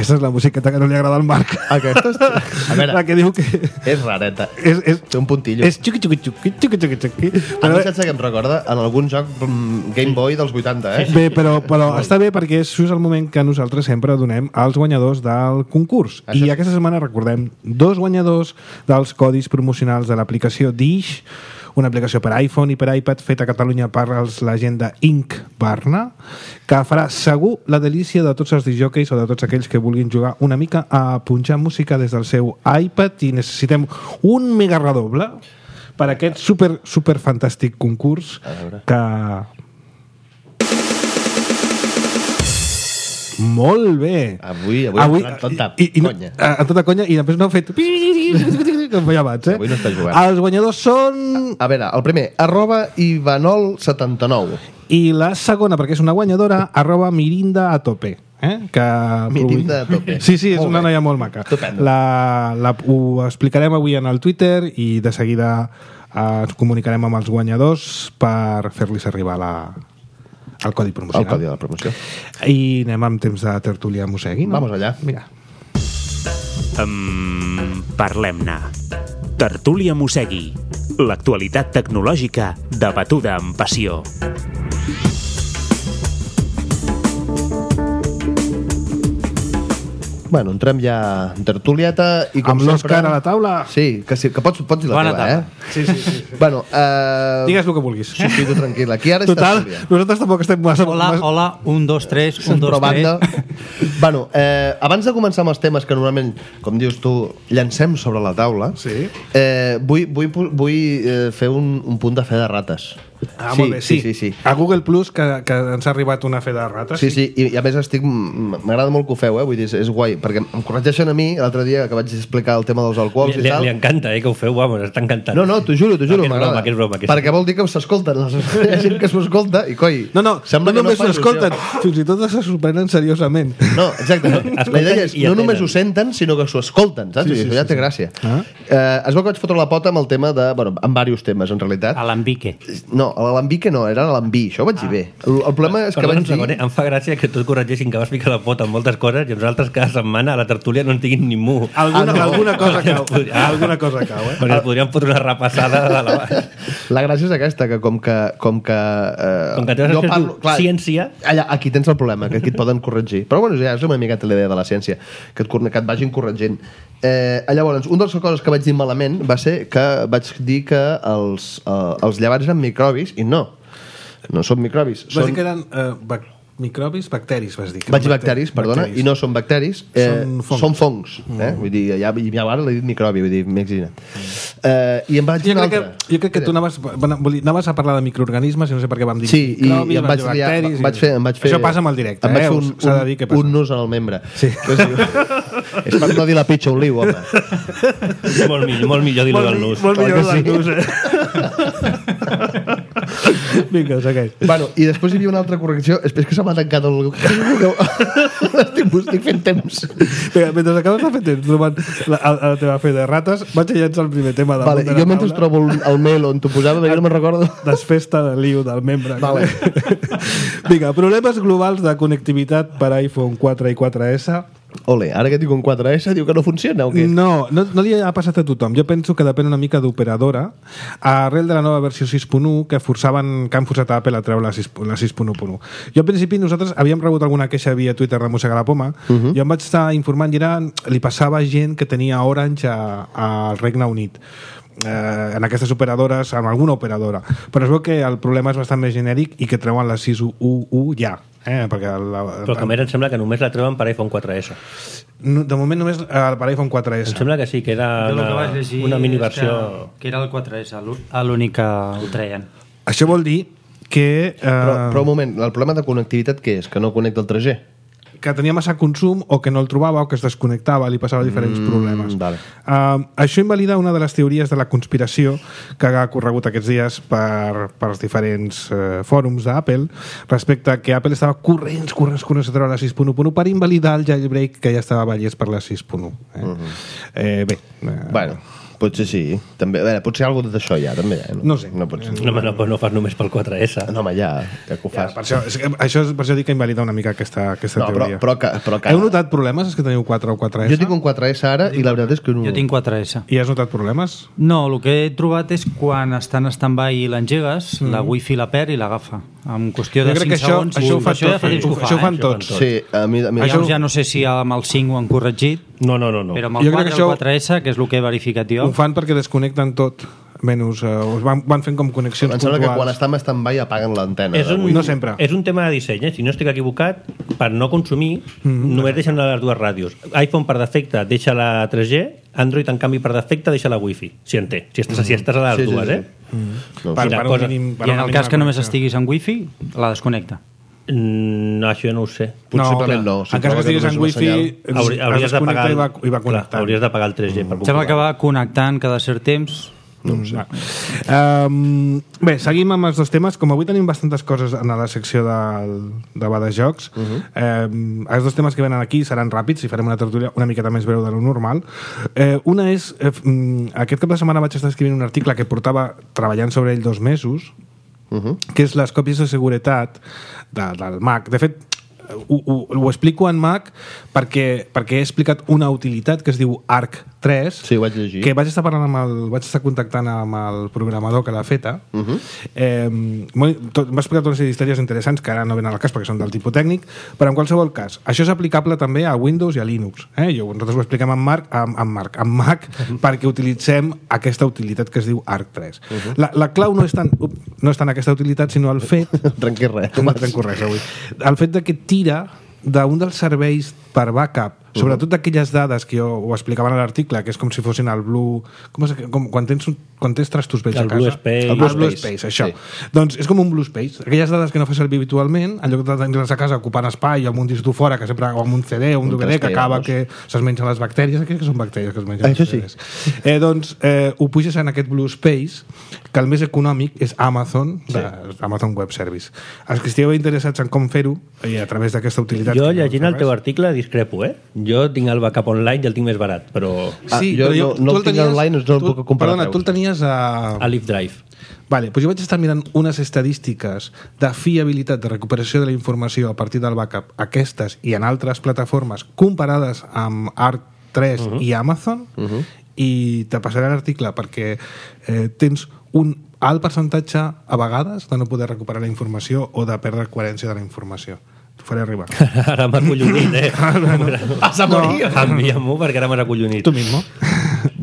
Aquesta és la musiqueta que no li agrada al Marc. Aquesta és... A veure, la que diu que... és rareta. És, és, Té un puntillo. és xuqui, xuqui, xuqui, xuqui, xuqui, xuqui. A mi saps que em recorda en algun joc mm, Game Boy dels vuitanta, eh? Bé, però, però està bé perquè és just el moment que nosaltres sempre donem als guanyadors del concurs. Això I sí. aquesta setmana recordem dos guanyadors dels codis promocionals de l'aplicació Dish, una aplicació per iPhone i per iPad feta a Catalunya per la gent de Inc Barna, que farà segur la delícia de tots els disjòqueis o de tots aquells que vulguin jugar una mica a punxar música des del seu iPad, i necessitem un mega redoble per aquest super, super fantàstic concurs que... Molt bé. Avui, avui, avui en tota i, i, conya. En tota conya, i després no heu fet... Com feia abans, eh? Avui no estàs jugant. Els guanyadors són... A veure, el primer, arroba Ivanol setanta-nou. I la segona, perquè és una guanyadora, arroba Mirinda a tope. Eh? Que... Mirinda a tope. Sí, sí, és Molt una bé. noia molt maca. Estupendo. La, la, ho explicarem avui en el Twitter i de seguida eh, ens comunicarem amb els guanyadors per fer-los arribar la, el codi promocional. El codi de la promoció. I anem amb temps de tertúlia Mosegui, no? Vamos allà. Vinga. Um, Parlem-ne. Tertúlia Mosegui. L'actualitat tecnològica debatuda amb passió. Bueno, entrem ja en tertulieta i com Amb l'Òscar sempre... a la taula. Sí, que, sí, que pots, pots dir la Bona teva, taula. eh? Sí, sí, sí. Bueno, eh... Digues el que vulguis. Sí, sí, tu tranquil. Aquí ara és Total, tertúlia. nosaltres tampoc estem massa... Hola, hola, un, dos, tres, un, dos, Però banda... tres. Bueno, eh, abans de començar amb els temes que normalment, com dius tu, llancem sobre la taula, Sí. eh, vull, vull, vull eh, fer un, un punt de fe de rates. Ah, molt bé, sí. sí, sí, sí. A Google Plus, que, que ens ha arribat una fe de rates. Sí, sí, i, i a més estic... M'agrada molt que ho feu, eh? Vull dir, és, és guai, perquè em corregeixen a mi l'altre dia que vaig explicar el tema dels alcohols Li, i li, tal. li encanta, eh, que ho feu, vamos, està encantat. No, no, t'ho juro, t'ho juro, No, que és m'agrada. broma, que és broma, que és- Perquè vol dir que s'escolten. Hi ha gent que s'ho escolta i, coi, No, no, sembla no que només fa no escolten, il·lusió. fins i tot se sorprenen seriosament. No, exacte. La Escolten idea és, i no atenen. només ho senten, sinó que s'ho escolten, saps? Sí, Sí, sí, sí, ja sí, té sí. gràcia. Ah. Eh, es veu que vaig fotre la pota amb el tema de... Bueno, amb diversos temes, en realitat. Alambique. No, l'alambique no, era l'alambí, això ho vaig dir bé. El, el problema és que Perdona vaig un segon, eh? dir... Em fa gràcia que tots corregeixin que vas ficar la pota en moltes coses i nosaltres cada setmana a la tertúlia no en diguin ni mu. Alguna, Ah, no. alguna cosa cau. Ah. Alguna cosa cau, eh? Perquè ens podríem fotre una repassada de la baix. La gràcia és aquesta, que com que... Com que, eh, Com que t'has escrit tu ciència. Allà, aquí tens el problema, que aquí et poden corregir. Però bueno, ja és una miqueta la idea de la ciència, que et, cor- que et vagin corregint. Eh, llavors, una de les coses que vaig dir malament va ser que vaig dir que els, eh, els llevats eren microbis, i no. No són microbis. Vas Són... dir que eren eh, bac microbis, bacteris, vas dir. Que Vaig dir eren bacteris, perdona, bacteris. i no són bacteris, eh, Són fongs. són fongs. Eh? Vull dir, ja, ja ara l'he dit microbi, vull dir, m'he exagerat. Eh, I em vaig dir Jo una crec, altra. que, jo crec que tu anaves, bueno, vull dir, anaves a parlar de microorganismes i no sé per què vam dir Sí, i, microbis, i em vas vaig, dir liar, bacteris... em vaig fer, em vaig fer... Això passa amb el directe, em vaig eh? fer un, S'ha de dir què passa. un nus en el membre. Sí. Que es diu... És per no dir la pitxa un liu, home. Molt millor, molt millor dir-lo del nus. Molt millor Clar que del nus, eh? Vinga, segueix. Bueno, i després hi havia una altra correcció. És que se m'ha tancat el... estic, estic fent temps. Vinga, mentre acabes de fer temps trobant la, la, la teva fe de rates, vaig a llançar el primer tema del Vale, de la jo mentre taula. trobo el, el mail on t'ho posava, jo no me'n recordo. Desfesta de liu del membre. Vale. Vinga, problemes globals de connectivitat per iPhone quatre i quatre essa. Ole, ara que tinc un quatre essa, diu que no funciona o què? No, no, no li ha passat a tothom. Jo penso que depèn una mica d'operadora. Arrel de la nova versió sis punt u que forçaven, que han forçat a Apple a treure la sis punt u punt u. Jo al principi nosaltres havíem rebut alguna queixa via Twitter de Mossegar la Poma. Uh -huh. Jo em vaig estar informant i era, li passava gent que tenia Orange a, al Regne Unit. Eh, en aquestes operadores, en alguna operadora, però es veu que el problema és bastant més genèric i que treuen la sis punt u punt u ja, eh? Perquè la, Però que a més em sembla que només la treuen per iPhone quatre essa. no, de moment només eh, per iPhone quatre Em essa. sembla que sí, que era Jo el que una, vaig llegir una és miniversió... que, que era el quatre essa, l'ú- l'únic que ho treien. Això vol dir que, eh, Però, però un moment, el problema de connectivitat què és? Que no connecta el tres G? que tenia massa consum o que no el trobava o que es desconnectava, li passava diferents Mm, problemes. vale. Uh, això invalida una de les teories de la conspiració que ha corregut aquests dies per, per els diferents uh, fòrums d'Apple respecte a que Apple estava corrents, corrents, corrents a treure la sis punt u punt u per invalidar el jailbreak que ja estava ballès per la sis punt u. Eh? Uh -huh. eh, bé. Eh, Bueno, Potser sí. També, a veure, potser alguna cosa d'això ja, també. Eh? No sé. No, pot ser. No, home, no, no fas només pel quatre essa. No, home, ja, ja que ho Ja, fas. per això, és, que això és per això dic que invalida una mica aquesta, aquesta No, però, teoria. però, que, però que... Heu notat problemes, els que teniu quatre o quatre essa? Jo tinc un quatre essa ara i la veritat és que no... Jo tinc quatre essa. I has notat problemes? No, el que he trobat és quan està en stand-by i l'engegues, mm. la wifi la perd i l'agafa. En qüestió de Jo crec cinc que això, segons... això ho fa això ja tot, fa temps que ho fa, això ho fan eh? tots. Sí, a mi... A mi Això ja no sé si amb el cinc ho han corregit, No, no, no. no. però amb el Jo crec quatre que i el això- quatre essa, que és el que he verificat jo... Ho fan perquè desconnecten tot, menys... Uh, van, van fent com connexions Em sembla que quan puntuals. està en stand-by apaguen l'antena. És un, No sempre. És un tema de disseny, eh? Si no estic equivocat, per no consumir, mm, només deixen les dues ràdios. iPhone per defecte deixa la tres G, Android en canvi per defecte deixa la Wi-Fi, si en té, si estàs, mm. si estàs a les Sí, sí, dues, sí. eh? No, Per, Quina per, cosa. un mínim, per I en una el cas mínima que només connexió. estiguis en wifi, la desconnecta. Mm, no, això ja no ho sé. Possiblement no. En cas que estiguis en només una wifi, senyal. Hauri, es hauries d'apagar desconnecta i va, i va clar, connectant. hauries d'apagar el tres G per Sembla que comprovar. va connectant cada cert temps. No ho sé. Um, bé, seguim amb els dos temes. Com avui tenim bastantes coses en la secció del, de va de jocs, uh -huh. um, els dos temes que venen aquí seran ràpids i farem una tertúlia una miqueta més breu de lo normal. Eh, una és, eh, aquest cap de setmana vaig estar escrivint un article que portava treballant sobre ell dos mesos, uh -huh. que és les còpies de seguretat de, del Mac. De fet, ho, ho, ho explico en Mac perquè, perquè he explicat una utilitat que es diu Arc tres, Sí, ho vaig llegir. que vaig estar parlant amb el, vaig estar contactant amb el programador que l'ha feta. Uh -huh. eh, M'ha explicat una sèrie d'històries interessants que ara no venen al cas perquè són del tipus tècnic, però en qualsevol cas, això és aplicable també a Windows i a Linux. Eh? Jo, nosaltres ho expliquem amb Marc, amb, amb Marc, amb Mac, perquè utilitzem aquesta utilitat que es diu Arc tres. Uh -huh. la, la clau no és, tant, up, no és tant aquesta utilitat, sinó el fet... Trenqui res. No trenco res avui. El fet de que tira d'un dels serveis per backup, sobretot d'aquelles dades que jo ho explicava en l'article, que és com si fossin el Blue... Com és, com, quan, tens un, quan tens trastos vells El a casa. Blue Space. El Blue, El Blue Space, Space, això. sí. Doncs és com un Blue Space. Aquelles dades que no fa servir habitualment, en lloc de tenir-les a casa ocupant espai amb un disc dur fora, que sempre, o amb un C D o un, Un D V D, que tres T, acaba vamos. que se'ls mengen les bactèries, aquelles que són bactèries que es mengen Això els sí. C Ds. Eh, doncs eh, ho puges en aquest Blue Space, que el més econòmic és Amazon, sí. de, Amazon Web Service. Els que estigueu interessats en com fer-ho, i a través d'aquesta utilitat... Jo, que no llegint fa el teu res. article, discrepo, eh? Jo tinc el backup online i el tinc més barat, però Ah, Sí, jo però no- no tu el tinc online, no el tu- puc comparar Perdona, preus. tu el tenies a... a Live Drive. Vale, doncs jo vaig estar mirant unes estadístiques de fiabilitat de recuperació de la informació a partir del backup, aquestes i en altres plataformes comparades amb Arc tres uh -huh. i Amazon, uh -huh. i te passaré l'article perquè eh, tens un alt percentatge a vegades de no poder recuperar la informació o de perdre coherència de la informació. T'ho faré arribar. Ara m'has acollonit, eh? Vas a morir! Envia-m'ho perquè ara m'has acollonit. Tu mismo.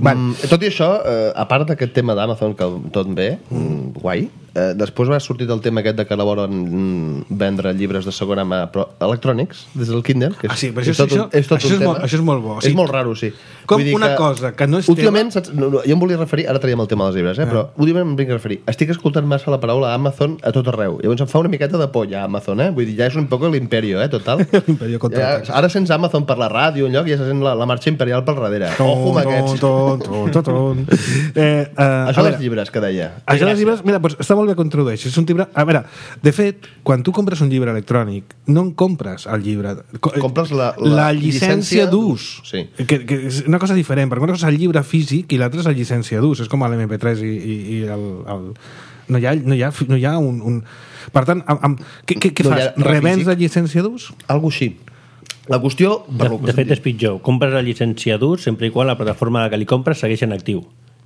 Mm, tot i això, eh, a part d'aquest tema d'Amazon, que tot bé, mm, guai, eh, després va sortir el tema aquest de que la volen mm, vendre llibres de segona mà però electrònics, des del Kindle, que és, Ah, sí, però és això- tot, un, això- és tot això un és tema. molt- això és molt bo, És sí. molt raro, sí. Com Vull dir una cosa que no és últimament, saps, no, no, jo em volia referir, ara traiem el tema dels llibres, eh, però últimament em vinc a referir, estic escoltant massa la paraula Amazon a tot arreu, llavors em fa una miqueta de por ja Amazon, eh? Vull dir, ja és un poc l'imperio, eh, total. L'imperio contra ja, ara sents Amazon per la ràdio, un lloc, i ja se sent la, la marxa imperial pel darrere. Ojo amb aquests. Ton, ton, ton, ton. Eh, eh, a Això veure, dels llibres que deia. Això dels llibres, mira, doncs està molt bé que ho introdueixis. És un llibre... A veure, de fet, quan tu compres un llibre electrònic, no en compres el llibre. Co- Compres la- la la llicència llicència d'ús. Sí. Que, que és una cosa diferent, perquè una cosa és el llibre físic i l'altra és la llicència d'ús. És com l'M P tres i, i, i el, el... No hi ha, no hi ha, no hi ha un... un... Per tant, amb, amb... què, què, què No hi fas? ha res Revens físic? la llicència d'ús? Algo així. La qüestió... De, de fet, és pitjor. Compres la llicència d'ús sempre i quan la plataforma que li compres segueix en actiu,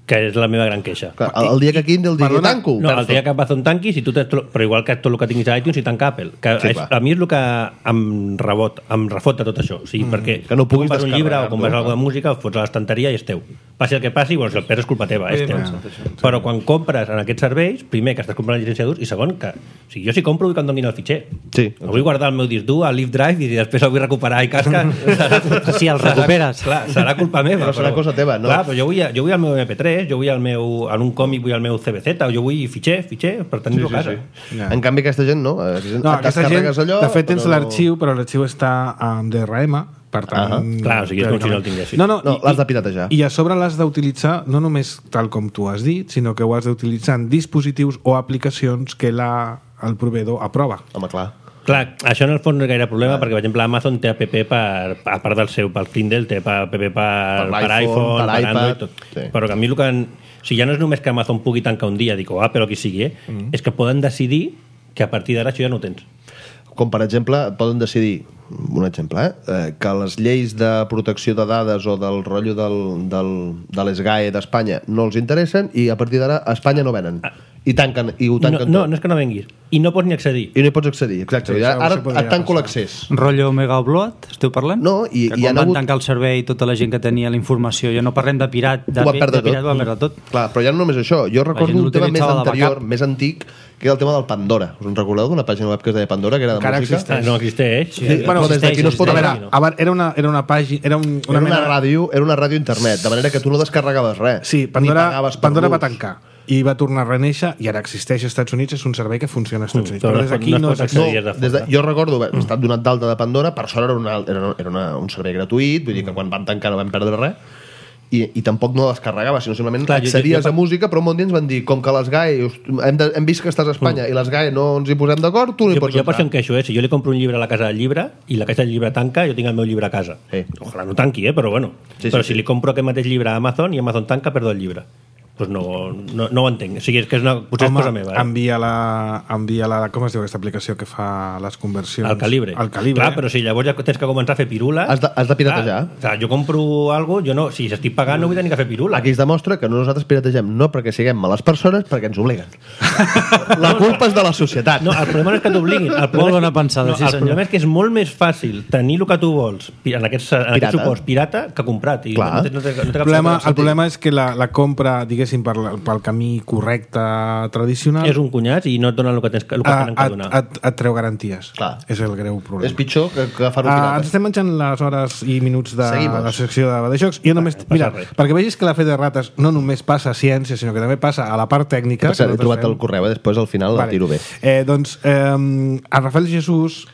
que és la meva gran queixa. Clar, el, el dia que Kindle digui Perdona, tanco... No, el dia que Amazon tanqui, si tu tens, però igual que tot el que tinguis a iTunes i tanca Apple. Que Sí, és, clar. a mi és el que em rebot, em refot de tot això. O sigui, mm, perquè que no puguis compres un llibre o descarregar-lo, compres clar. alguna música, ho fots a l'estanteria i és teu. Passi el que passi, bueno, si el perds és culpa teva, és teu. Però quan compres en aquests serveis, primer que estàs comprant la llicència d'ús i segon que, o sigui, jo si compro vull que em donin el fitxer. Sí. No vull guardar el meu disc dur al Live Drive i després el vull recuperar i casca. serà, Si el recuperes. Clar, serà culpa meva. Però serà cosa teva, no? Clar, però jo vull, jo vull el meu M P tres, jo vull el meu, en un còmic vull el meu C B Z, o jo vull fitxer, fitxer, per tenir-lo a casa. Ja. En canvi, aquesta gent no. Aquesta gent, No, aquesta gent, descarregues allò, de fet, tens però no- l'arxiu, però l'arxiu està amb D R M, per tant... Ah, clar, o sigui, és com si no el tinguessis. No, no, No, i- l'has de i- piratejar. I a sobre l'has d'utilitzar, no només tal com tu has dit, sinó que ho has d'utilitzar en dispositius o aplicacions que la, el proveïdor aprova. Home, clar. Clar, això en el fons no és gaire problema, perquè, per exemple, Amazon té app per, a part del seu, pel Kindle, té app per, per, per iPhone, per, per Android, tot. Sí. Però que a mi el que... O sigui, ja no és només que Amazon pugui tancar un dia, dic, o Apple o qui sigui, eh? Mm. és que poden decidir que a partir d'ara això ja no ho tens. Com, per exemple, poden decidir, un exemple, eh? que les lleis de protecció de dades o del rotllo del, del, de l'S G A E d'Espanya no els interessen i a partir d'ara a Espanya no venen. I tanquen, i ho tanquen no, tot. No, no és que no venguis. I no pots ni accedir. I no hi pots accedir, exacte. Sí, ara et tanco l'accés. Rotllo Mega Upload, esteu parlant? No, i, que i quan han van hagut... tancar el servei tota la gent que tenia la informació, ja no parlem de pirat, de, ho va perdre de pirat, tot. ho va perdre tot. Clar, però ja no només això. Jo recordo un tema més anterior, backup. més antic, que era el tema del Pandora. Us en recordeu d'una pàgina web que es deia Pandora, que era de Encara música? existeix. No existeix. Sí, sí. Bueno, des d'aquí no es pot A veure, veure. a veure, era una, era una pàgina... Era, un, una Era una mena... ràdio, era una ràdio internet, de manera que tu no descarregaves res. Sí, Pandora, ni pagaves per Pandora va l'ús. tancar i va tornar a reneixer i ara existeix als Estats Units, és un servei que funciona als Estats Units, però però no des es d'aquí pot- no, no es pot s'accedeix. accedir. No, des de, jo recordo haver estat donat d'alta de Pandora, per sort era, una, era, era una, un servei gratuït, vull dir que quan van tancar no vam perdre res, i, i tampoc no descarregava, sinó simplement Clar, jo- accedies jo- jo- a música, però un bon dia ens van dir, com que les G A E, us- hem, de, hem vist que estàs a Espanya mm. i les G A E no ens hi posem d'acord, tu no hi Jo, pots jo per això em entrar. queixo, eh? Si jo li compro un llibre a la casa del llibre i la casa del llibre tanca, jo tinc el meu llibre a casa. Sí. Ojalà no tanqui, eh? Però bueno. Sí, sí, però sí. si li compro aquest mateix llibre a Amazon i Amazon tanca, perdo el llibre. Pues no, no, no ho entenc. O sigui, és que és una, potser Home, és cosa meva. Eh? envia la, envia la... Com es diu aquesta aplicació que fa les conversions? El calibre. El calibre. Clar, però si llavors ja tens que començar a fer pirules... Has de, has de piratejar. Clar, clar, jo compro algo, jo no, si estic pagant no vull tenir que fer pirules. Aquí es demostra que no nosaltres pirategem, no perquè siguem males persones, perquè ens obliguen. La culpa és de la societat. No, el problema no és que t'obliguin. El problema Molt és bona que- pensada, no, sí, el senyor. problema és que és molt més fàcil tenir el que tu vols pi- en aquests, en Pirata. aquests suports pirata que comprat. I Clar. no, té, no, té, no té El cap problema, sentit. el problema és que la, la compra, diguéssim, per, la- pel camí correcte tradicional És un cunyat i no et donen el que, tens, el que a, tenen que et, donar. et, et treu garanties. Clar. És el greu problema. És pitjor que, que fer-ho Uh, pirata. ens estem menjant les hores i minuts de Seguimos. la secció de, de jocs. Jo només, passa mira, res. perquè vegis que la fe de rates no només passa a ciència, sinó que també passa a la part tècnica. Per cert, he que trobat nosaltres el correu, eh? Després al final el tiro bé. Eh, doncs eh, el Rafael Jesús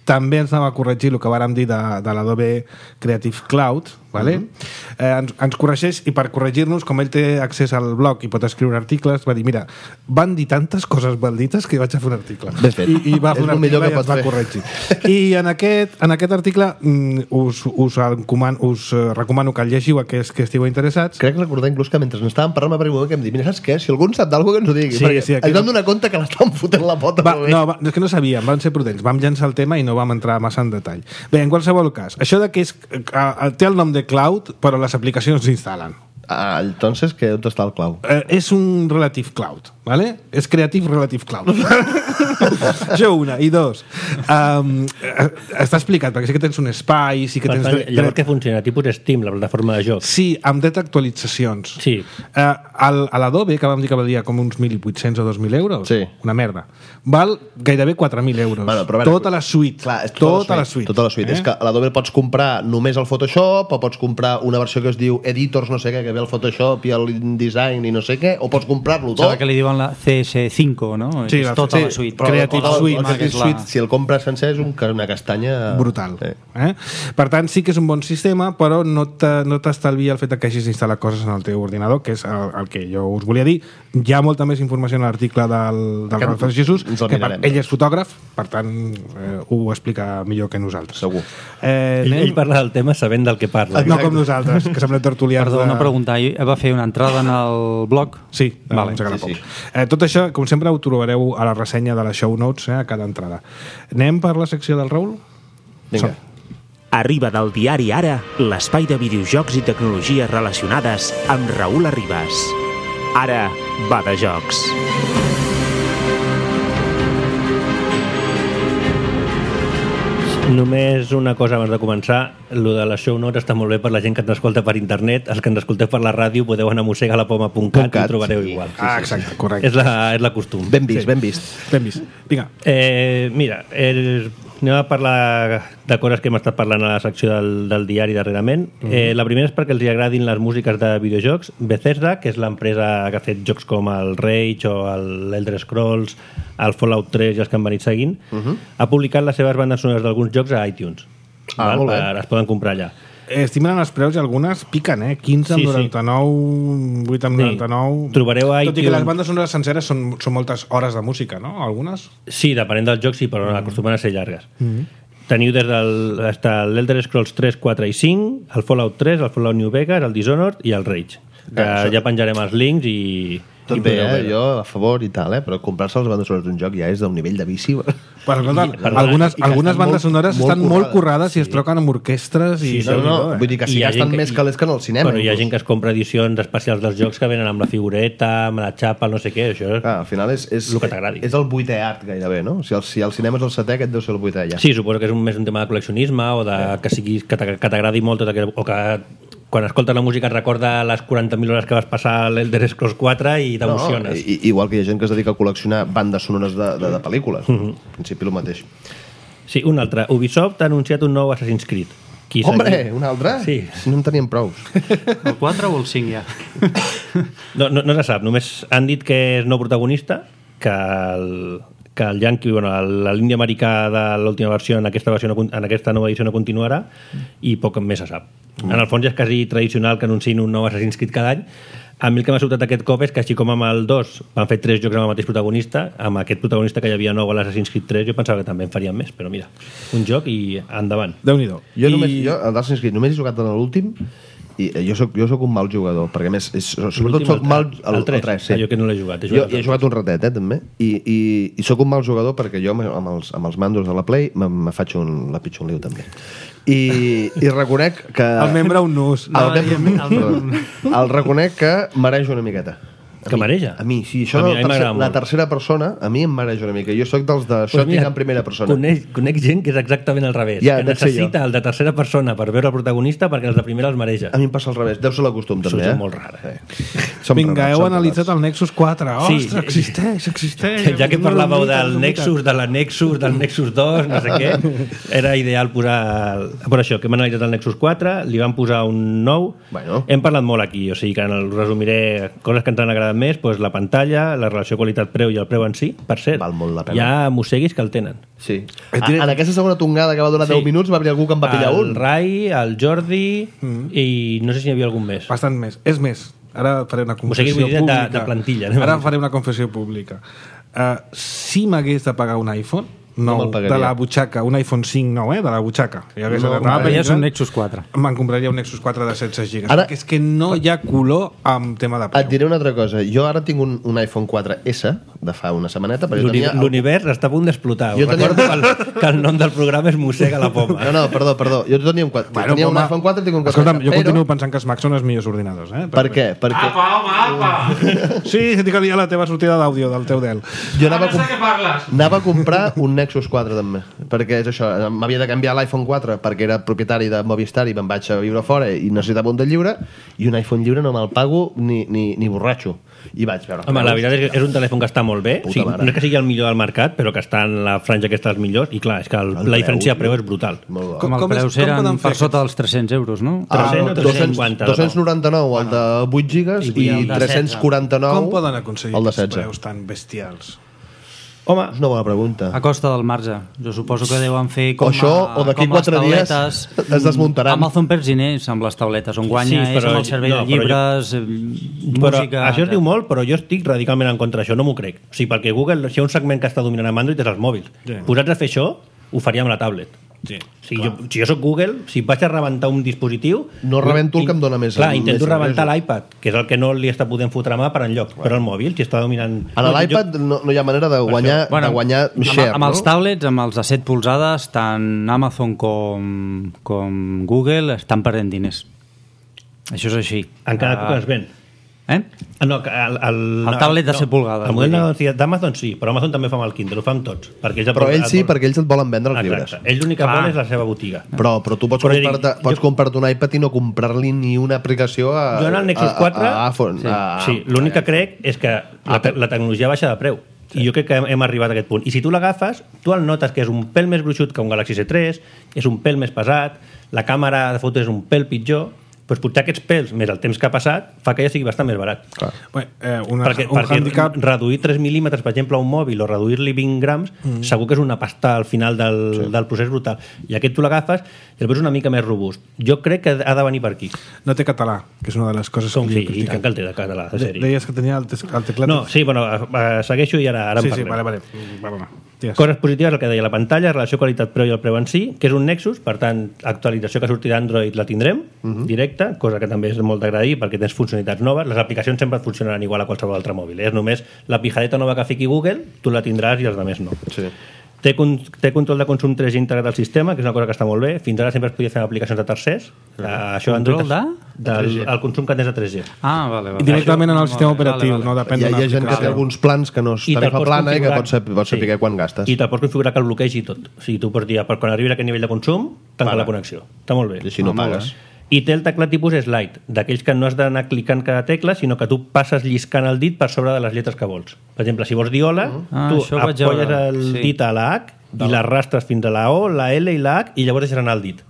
també ens anava a corregir el que vàrem dir de, de l'Adobe Creative Cloud, vale? Uh-huh. eh, ens, ens corregeix, i per corregir-nos, com ell té accés al blog i pot escriure articles, va dir, mira, van dir tantes coses maldites que vaig a fer un article. Ben fet. I, i va És fer un el millor article que i ens pots va fer. corregir. I en aquest, en aquest article mm, us, us, encoman, us eh, recomano que el llegiu aquells que estigueu interessats. Crec recordar inclús que mentre n'estàvem parlant va moment que em dic, mira, saps què? Si algú en sap d'alguna que ens ho digui. Sí, perquè sí, aquí ens vam no- donar compte que l'estàvem fotent la pota. Va, molt bé. no, va, és que no sabíem, vam ser prudents, vam llançar el tema i no vam entrar massa en detall. Bé, en qualsevol cas, això de que és, eh, eh, té el nom de cloud, però les aplicacions s'instal·len. Ah, entonces, que on està el clau? Eh, és un relative cloud, ¿vale? És Creative Relative Cloud. Això una. I dos, um, eh, està explicat, perquè sí que tens un espai, sí que Per tens... tant, dret- llavors què funciona? Tipus Steam, la plataforma de jocs. Sí, amb dret actualitzacions. Sí. Eh, el, a l'Adobe, que vam dir que valia com uns mil vuit-cents o dos mil euros, Sí. una merda, val gairebé quatre mil euros. Bueno, però a veure, tota la suite. Clar, és tota, la suite. Tota la suite. Eh? És que a l'Adobe pots comprar només el Photoshop, o pots comprar una versió que es diu Editors no sé què, que ve el Photoshop i el InDesign i no sé què, o pots comprar-lo tot. Sembla que li diuen la C S cinco, no? Sí, és la- tota sí, la suite. però Creative el- el Suite, Creative que és la- Suite, si el compres sencer és un, una castanya... brutal. Sí. Eh? Per tant, sí que és un bon sistema, però no te- no t'estalvia el fet que hagis d'instal·lar coses en el teu ordinador, que és el, el que jo us volia dir. Hi ha molta més informació en l'article del, del Que Rafael Jesús, ens el que per, mirarem. ell és fotògraf, per tant, eh, ho explica millor que nosaltres. Segur. Eh, Ell, anem- ell parla del tema sabent del que parla. No com nosaltres, que semblem tertulians. Perdó, de- una pregunta. Ahir va fer una entrada en el blog? Sí, Vale. vale, sí, sí. Eh, tot això, com sempre, ho trobareu a la ressenya de les show notes, eh, a cada entrada. Anem per la secció del Raül? Vinga. Som. Arriba del diari Ara, l'espai de videojocs i tecnologies relacionades amb Raül Arribas. Ara va de jocs. Només una cosa abans de començar. Lo de les show notes està molt bé per la gent que ens escolta per internet. Els que ens escolteu per la ràdio podeu anar a mosegalapoma punt cat i ho trobareu sí. igual. Ah, exacte, correcte. És la, és la costum. Ben vist, ben vist. Ben vist. Vinga. Eh, mira, el, anem a parlar de coses que hem estat parlant a la secció del, del diari darrerament. Mm -hmm. eh, la primera és perquè els hi agradin les músiques de videojocs. Bethesda, que és l'empresa que ha fet jocs com el Rage o el Elder Scrolls, el Fallout tres i els que han venit seguint, mm -hmm. ha publicat les seves bandes sonores d'alguns jocs a iTunes. Ah, molt bé. Per, es poden comprar allà. estic mirant els preus i algunes piquen, eh? quinze amb Sí, sí. noranta-nou, vuit amb Sí. noranta-nou... Trobareu a Tot i que iTunes- les bandes sonores senceres són, són moltes hores de música, no? Algunes? Sí, depenent del joc, sí, però mm. acostumen a ser llargues. Mm. Teniu des del hasta l'Elder Scrolls tres, quatre i cinc, el Fallout tres, el Fallout New Vegas, el Dishonored i el Rage. Que Ah, això- ja penjarem els links i... Tot i bé, podeu eh? veure. Jo a favor i tal, eh? Però comprar-se les bandes sonores d'un joc ja és d'un nivell de vici. Però, escolta, perdona, algunes, i que algunes estan bandes molt- sonores molt estan molt currades. currades i es troquen amb orquestres i... No, no, eh? vull dir que I si hi ha gasten gent que- més calés que en el cinema. Però hi ha inclús. gent que es compra edicions especials dels jocs que venen amb la figureta, amb la xapa, el no sé què, això... Clar, al final és, és, El que t'agradi. és el vuitè art gairebé, no? Si el, si el cinema és el setè, aquest deu ser el vuitè ja. Sí, suposo que és un, més un tema de col·leccionisme o de, que, sigui, que t'a- que t'agradi molt tot aquell, o que quan escoltes la música et recorda les quaranta mil hores que vas passar a l'Elder Scrolls quatre i t'emociones. No, i, igual que hi ha gent que es dedica a col·leccionar bandes sonores de, de, de pel·lícules. Mhm. En principi el mateix. Sí, un altre. Ubisoft ha anunciat un nou Assassin's Creed. Qui Hombre, seguia- un altre? Sí. No en teníem prous. El quatre o el cinc ja? No, no, no se sap, només han dit que és no protagonista, que el, que el Yankee, bueno, el- l'indi americà de l'última versió en aquesta, versió no, con- en aquesta nova edició no continuarà i poc més se sap. En el fons ja és quasi tradicional que anunciïn un nou Assassin's Creed cada any. A mi el que m'ha sobtat aquest cop és que així com amb el dos van fer tres jocs amb el mateix protagonista, amb aquest protagonista que hi havia nou a l'Assassin's Creed tres jo pensava que també en farien més, però mira, un joc i endavant. Déu-n'hi-do. Jo, I... només, jo a Assassin's Creed només he jugat en l'últim i eh, jo soc, jo soc un mal jugador, perquè a més, és, sobretot L'últim, soc el- mal... el tres. tres, sí. Ah, jo que no l'he jugat, he Jo, jugat he el jugat un ratet, eh, també, i, i, i sóc un mal jugador perquè jo amb amb els, amb els mandos de la Play me, me faig un, la pitjor un liu, també. I, i reconec que... El membre un nus. El, membre, el, el reconec que mareja una miqueta. A Que mi- mareja? A mi, sí. Això A mi- de a mi m'agrada tercer, la molt. tercera persona, a mi em mareja una mica. Jo sóc dels de Pues shooting mira, en primera persona. Conec, conec gent que és exactament al revés. Ja, que dec ser necessita el de tercera persona per veure el protagonista perquè els de primera els mareja. A mi em passa al revés. Deu ser la costum, Això també, és eh? molt rara. Sí. Som Vinga, rarats, heu som analitzat rarats. el Nexus quatre. Sí. Ostres, existeix, existeix. Ja que parlàveu del És una mica. Nexus, de la Nexus, del Nexus dos, no sé què, era ideal posar... el- Per això, que hem analitzat el Nexus quatre, li van posar un nou... Bueno. Hem parlat molt aquí, o sigui que en el resumiré coses que ens han agradat més, doncs la pantalla, la relació qualitat-preu i el preu en si, per cert. Val molt la pena. Hi ha mosseguis que el tenen. Sí. A, en aquesta segona tongada que va durar Sí. deu minuts va haver algú que en va pillar El un. Rai, el Jordi i no sé si hi havia algun més. Bastant més. És més, ara faré una sigui, confessió vull dir de- pública. de plantilla, anem a Ara dir. faré una confessió pública. Uh, si m'hagués de pagar un iPhone, No nou, me'l pagaria. de la butxaca, un iPhone cinc nou, eh, de la butxaca. Ja hagués No, anat a no, vendre, ja és un Nexus quatre. Me'n compraria un Nexus quatre de setze gigas. Ara- Ara, perquè és que no hi ha color amb tema de Et preu. diré una altra cosa. Jo ara tinc un, un iPhone quatre essa de fa una setmaneta, però jo L'uni- tenia... L'univers està a punt d'explotar. Jo Jo tenia- recordo que el, que el nom del programa és Mossega la poma. No, no, perdó, perdó. Jo tenia un, quatre, Bueno, tenia un home, iPhone quatre i tinc un quatre. Escolta'm, jo però... continuo pensant que els Macs són els millors ordinadors. Eh? Per què? Perquè Apa, home, apa! Sí, que tinc la teva sortida d'àudio del teu Dell. jo anava a, Ara sé comp què parles. anava a comprar un Nexus quatre també, perquè és això, m'havia de canviar l'iPhone quatre perquè era propietari de Movistar i me'n vaig a viure fora i necessitava un de lliure, i un iPhone lliure no me'l pago ni, ni, ni borratxo. I vaig veure... Home, la veritat és que és un telèfon que està molt bé. Puta O sigui, mare. no és que sigui el millor del mercat, però que està en la franja aquesta dels millors. I clar, és que el, El la preu, diferència de preu tio. és brutal. Molt bo. Com- Com, els com és- preus com eren poden fer per sota dels tres-cents euros, no? Ah, Ah, tres-cents, dos-cents cinquanta, dos-cents noranta-nou el de vuit gigas I i el de tres-cents quaranta-nou Com poden aconseguir el de aquests setze. preus tan bestials? Home, És una bona pregunta. A costa del marge. Jo suposo que deuen fer com, O això, a, o d'aquí com les quatre dies tauletes. es desmuntaran. Amazon perd diners amb les tauletes. On guanya Sí, és però- amb el servei no, de però llibres, jo, però música... això es diu molt, però jo estic radicalment en contra d'això, no m'ho crec. O sigui, perquè Google, si hi ha un segment que està dominant amb Android és els mòbils. Sí. Posats a fer això, ho faria amb la tablet. Sí, O sigui, jo, si jo sóc Google, si vaig a rebentar un dispositiu... No rebento el que em dona més- Clar, més intento rebentar ingressos. l'iPad, que és el que no li està podent fotre mà per enlloc. Però el mòbil, si està dominant... En l'iPad no, no hi ha manera de guanyar, Bueno, de guanyar amb, share, amb els no? tablets, amb els de set polzades, tant Amazon com, com Google estan perdent diners. Això és així. Encara Ah, que es ven. Eh? Ah, no, que el, el, El tablet de set polzades, El model vull dir. de negoci- d'Amazon sí, però Amazon també fa amb el Kindle, ho fa amb tots. Perquè ells Però aporten- ells sí, aporten- perquè ells et volen vendre els llibres. Exacte. Ells l'únic que Clar. volen és la seva botiga. Però, però tu pots Però comprar-te jo- pots comprar-te un iPad i no comprar-li ni una aplicació a, Jo en el Nexus a- quatre... a, a iPhone. sí, a, sí, l'únic que crec és que la, te la tecnologia baixa de preu. I jo crec que hem, hem arribat a aquest punt. I si tu l'agafes, tu el notes que és un pèl més gruixut que un Galaxy S tres, és un pèl més pesat, la càmera de foto és un pèl pitjor, doncs potser aquests pèls, més el temps que ha passat, fa que ja sigui bastant més barat. Clar. Bé, eh, una, perquè un perquè handicap... reduir tres mil·límetres, per exemple, a un mòbil o reduir-li vint grams, mm. segur que és una pasta al final del, sí. del procés brutal. I aquest tu l'agafes i el veus una mica més robust. Jo crec que ha de venir per aquí. No té català, que és una de les coses Com que sí, li i tant que el té de català, de sèrie. Deies que tenia el, tes, el teclat... No, sí, bueno, segueixo i ara, ara sí, en parlem. Sí, vale, vale. Perdona. Yes. Coses positives, el que deia la pantalla, relació qualitat-preu i el preu en si, que és un Nexus, per tant, actualització que surti d'Android la tindrem, uh-huh. directa, cosa que també és molt d'agrair perquè tens funcionalitats noves. Les aplicacions sempre et funcionaran igual a qualsevol altre mòbil. Eh? És només la pijadeta nova que fiqui Google, tu la tindràs i els altres no. Sí. Té, con té control de consum tres G integrat al sistema, que és una cosa que està molt bé. Fins ara sempre es podia fer amb aplicacions de tercers. Uh, això control de? Del el consum que tens de tres G. Ah, vale, vale. I directament en el sistema operatiu, vale, vale. no depèn Hi ha, d'una hi ha gent que té alguns plans que no és tarifa plana i que pots saber, pots saber sí. quan gastes. I te'l pots configurar que el bloquegi tot. O sigui, tu pots dir, quan arribi a aquest nivell de consum, tanca vale. la connexió. Està molt bé. I així no ah, pagues. I té el teclat tipus slide, d'aquells que no has d'anar clicant cada tecla, sinó que tu passes lliscant el dit per sobre de les lletres que vols. Per exemple, si vols dir hola, ah, tu apolles el sí. dit a la H i l'arrastres fins a la O, la L i la H i llavors deixarà anar el dit.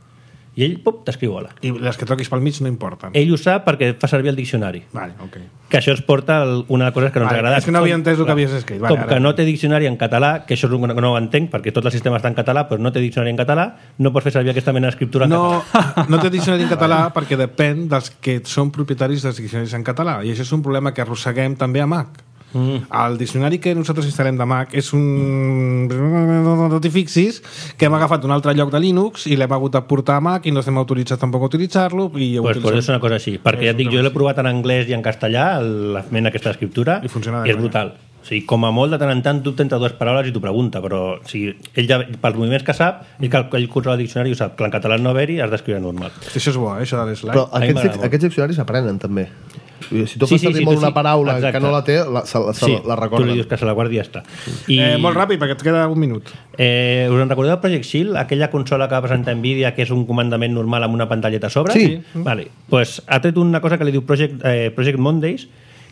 I ell, pop, t'escriu hola. I les que toquis pel mig no importen. Ell ho sap perquè fa servir el diccionari. Vale, ok. Que això ens porta a una de les coses que no ens vale, agrada. És que no havia entès el que havies escrit. Vale, com que no té diccionari en català, que això és una que no ho entenc, perquè tot el sistema està en català, però no té diccionari en català, no pots fer servir aquesta mena d'escriptura en no, català. No té diccionari en català perquè depèn dels que són propietaris dels diccionaris en català. I això és un problema que arrosseguem també a Mac. Mm. El diccionari que nosaltres instal·lem de Mac és un... no t'hi fixis que hem agafat un altre lloc de Linux i l'hem hagut de portar a Mac i no estem autoritzats tampoc a utilitzar-lo i pues, pues és una cosa així, perquè ja et dic, jo l'he provat en anglès i en castellà, la mena aquesta d'escriptura, i, i és brutal. O sigui, com a molt de tant en tant dubta entre dues paraules i t'ho pregunta, però o sigui, ell ja, pels moviments que sap, ell, ell controla el diccionari i ho sap, que en català no haver-hi has d'escriure normal. Hosti, això és bo, eh, això de l'slide. Però aquests, aquests diccionaris s'aprenen també. Si tu sí, fas servir sí, sí, molt una sí, paraula exacte. que no la té, la, se, se, sí, la recorda. Tu li dius que se la guardi i ja està. I... Eh, molt ràpid, perquè et queda un minut. Eh, us en recordeu Project Shield, aquella consola que va presentar Nvidia, que és un comandament normal amb una pantalleta a sobre? Sí. Vale. Pues ha tret una cosa que li diu Project, eh, Project Mondays,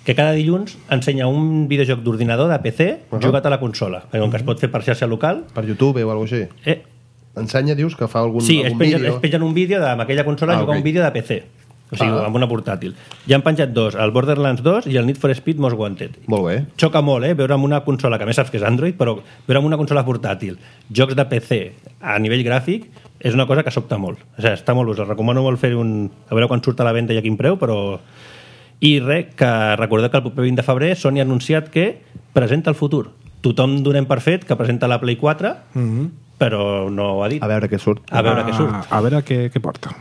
que cada dilluns ensenya un videojoc d'ordinador de P C uh -huh. jugat a la consola, com que es pot fer per xarxa local. Per YouTube o alguna cosa així? Eh. Ensenya, dius, que fa algun, sí, algun es vídeo? Sí, es pengen un vídeo amb aquella consola ah, jugar okay. un vídeo de P C. O sigui, ah. amb una portàtil. Ja han penjat dos, el Borderlands dos i el Need for Speed Most Wanted. Molt bé. Xoca molt, eh? Veure amb una consola, que a més saps que és Android, però veure amb una consola portàtil, jocs de P C a nivell gràfic, és una cosa que sobta molt. O sigui, està molt, us recomano molt fer un... A veure quan surt a la venda i a quin preu, però... I res, que recordeu que el proper vint de febrer Sony ha anunciat que presenta el futur. Tothom donem per fet que presenta la Play quatre, mm-hmm. però no ho ha dit. A veure què surt. A veure a, què surt. A veure què, què porta.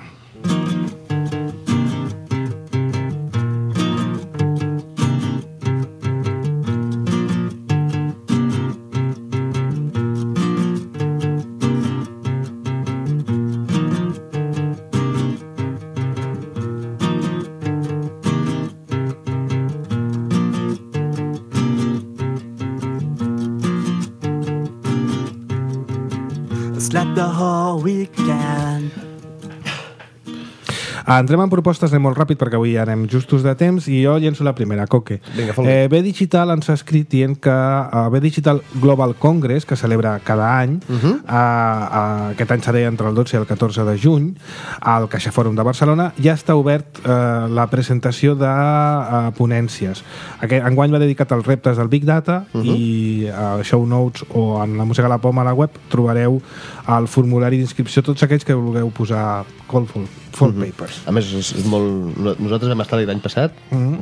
Entrem en propostes, anem molt ràpid perquè avui ja anem justos de temps i jo llenço la primera, Coque. Vinga, eh, B Digital ens ha escrit dient que uh, B Digital Global Congress, que celebra cada any, uh -huh. uh, uh, aquest any serà entre el dotze i el catorze de juny, al Caixa Fòrum de Barcelona, ja està obert uh, la presentació de uh, ponències. Aquest enguany va dedicat als reptes del Big Data uh -huh. i a uh, Show Notes o en la Música a la Poma a la web trobareu el formulari d'inscripció tots aquells que vulgueu posar Callful for mm-hmm. Papers. A més, és, és molt... Nosaltres vam estar l'any passat, mm-hmm.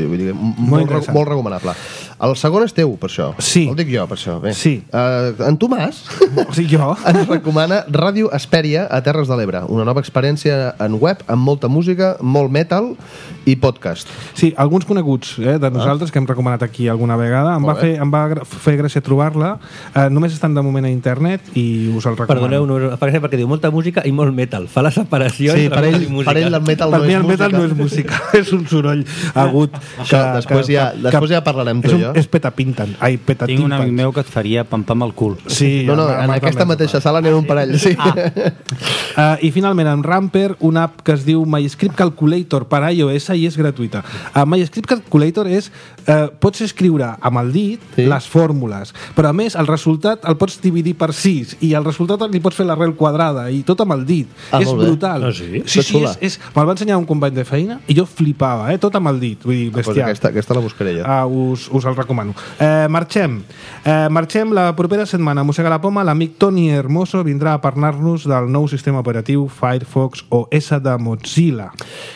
vull dir, molt, molt, molt recomanable. El segon és teu, per això. Sí. El dic jo, per això. Bé. Sí. Uh, en Tomàs o sigui, jo. ens recomana Ràdio Hespèria a Terres de l'Ebre, una nova experiència en web amb molta música, molt metal i podcast. Sí, alguns coneguts eh, de nosaltres ah. que hem recomanat aquí alguna vegada. Em va, fer, em va fer gràcia trobar-la. Uh, només estan de moment a internet i us el recomano. Perdoneu, no, perquè diu molta música i molt metal. Fa la separació sí, entre per ell, i música. Per ell el metal per no mi és el música. metal no és música, és un soroll agut. Això, que, després, que, ja, després ja parlarem tu i jo. És un jo. és petapinten. Ai, Tinc un amic petatimpans. meu que et faria pampam al cul. Sí, No, no, amb- en amb aquesta la mateixa sala n'hi ha un parell, sí. Uh, I finalment, en Ramper, una app que es diu MyScript Calculator per iOS i és gratuïta. Uh, MyScript Calculator és... Uh, pots escriure amb el dit Sí. les fórmules, però a més el resultat el pots dividir per sis i el resultat li pots fer l'arrel quadrada i tot amb el dit. Ah, és molt bé. brutal. Ah, sí? Sí, Que sí, xula. és, és, me'l va ensenyar un company de feina i jo flipava, eh? Tot amb el dit. Vull dir, Pues bestial. aquesta, aquesta la buscaré jo. Uh, us, us el recomano. Eh, marxem. Eh, marxem la propera setmana. Mossega la poma, l'amic Toni Hermoso vindrà a parlar-nos del nou sistema operatiu Firefox O S de Mozilla.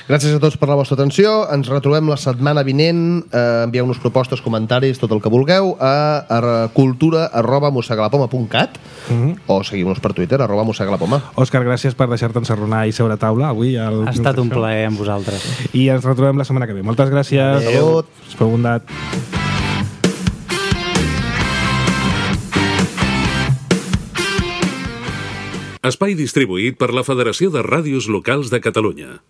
Gràcies a tots per la vostra atenció. Ens retrobem la setmana vinent. Eh, envieu-nos propostes, comentaris, tot el que vulgueu a, a cultura arroba mossegalapoma punt cat Mhm. o seguim-nos per Twitter arroba mossegalapoma. Òscar, gràcies per deixar-te encerronar i seure a taula avui. Al Ha estat un plaer amb vosaltres. I ens retrobem la setmana que ve. Moltes gràcies. Salut. Espero bondat. Espai distribuït per la Federació de Ràdios Locals de Catalunya.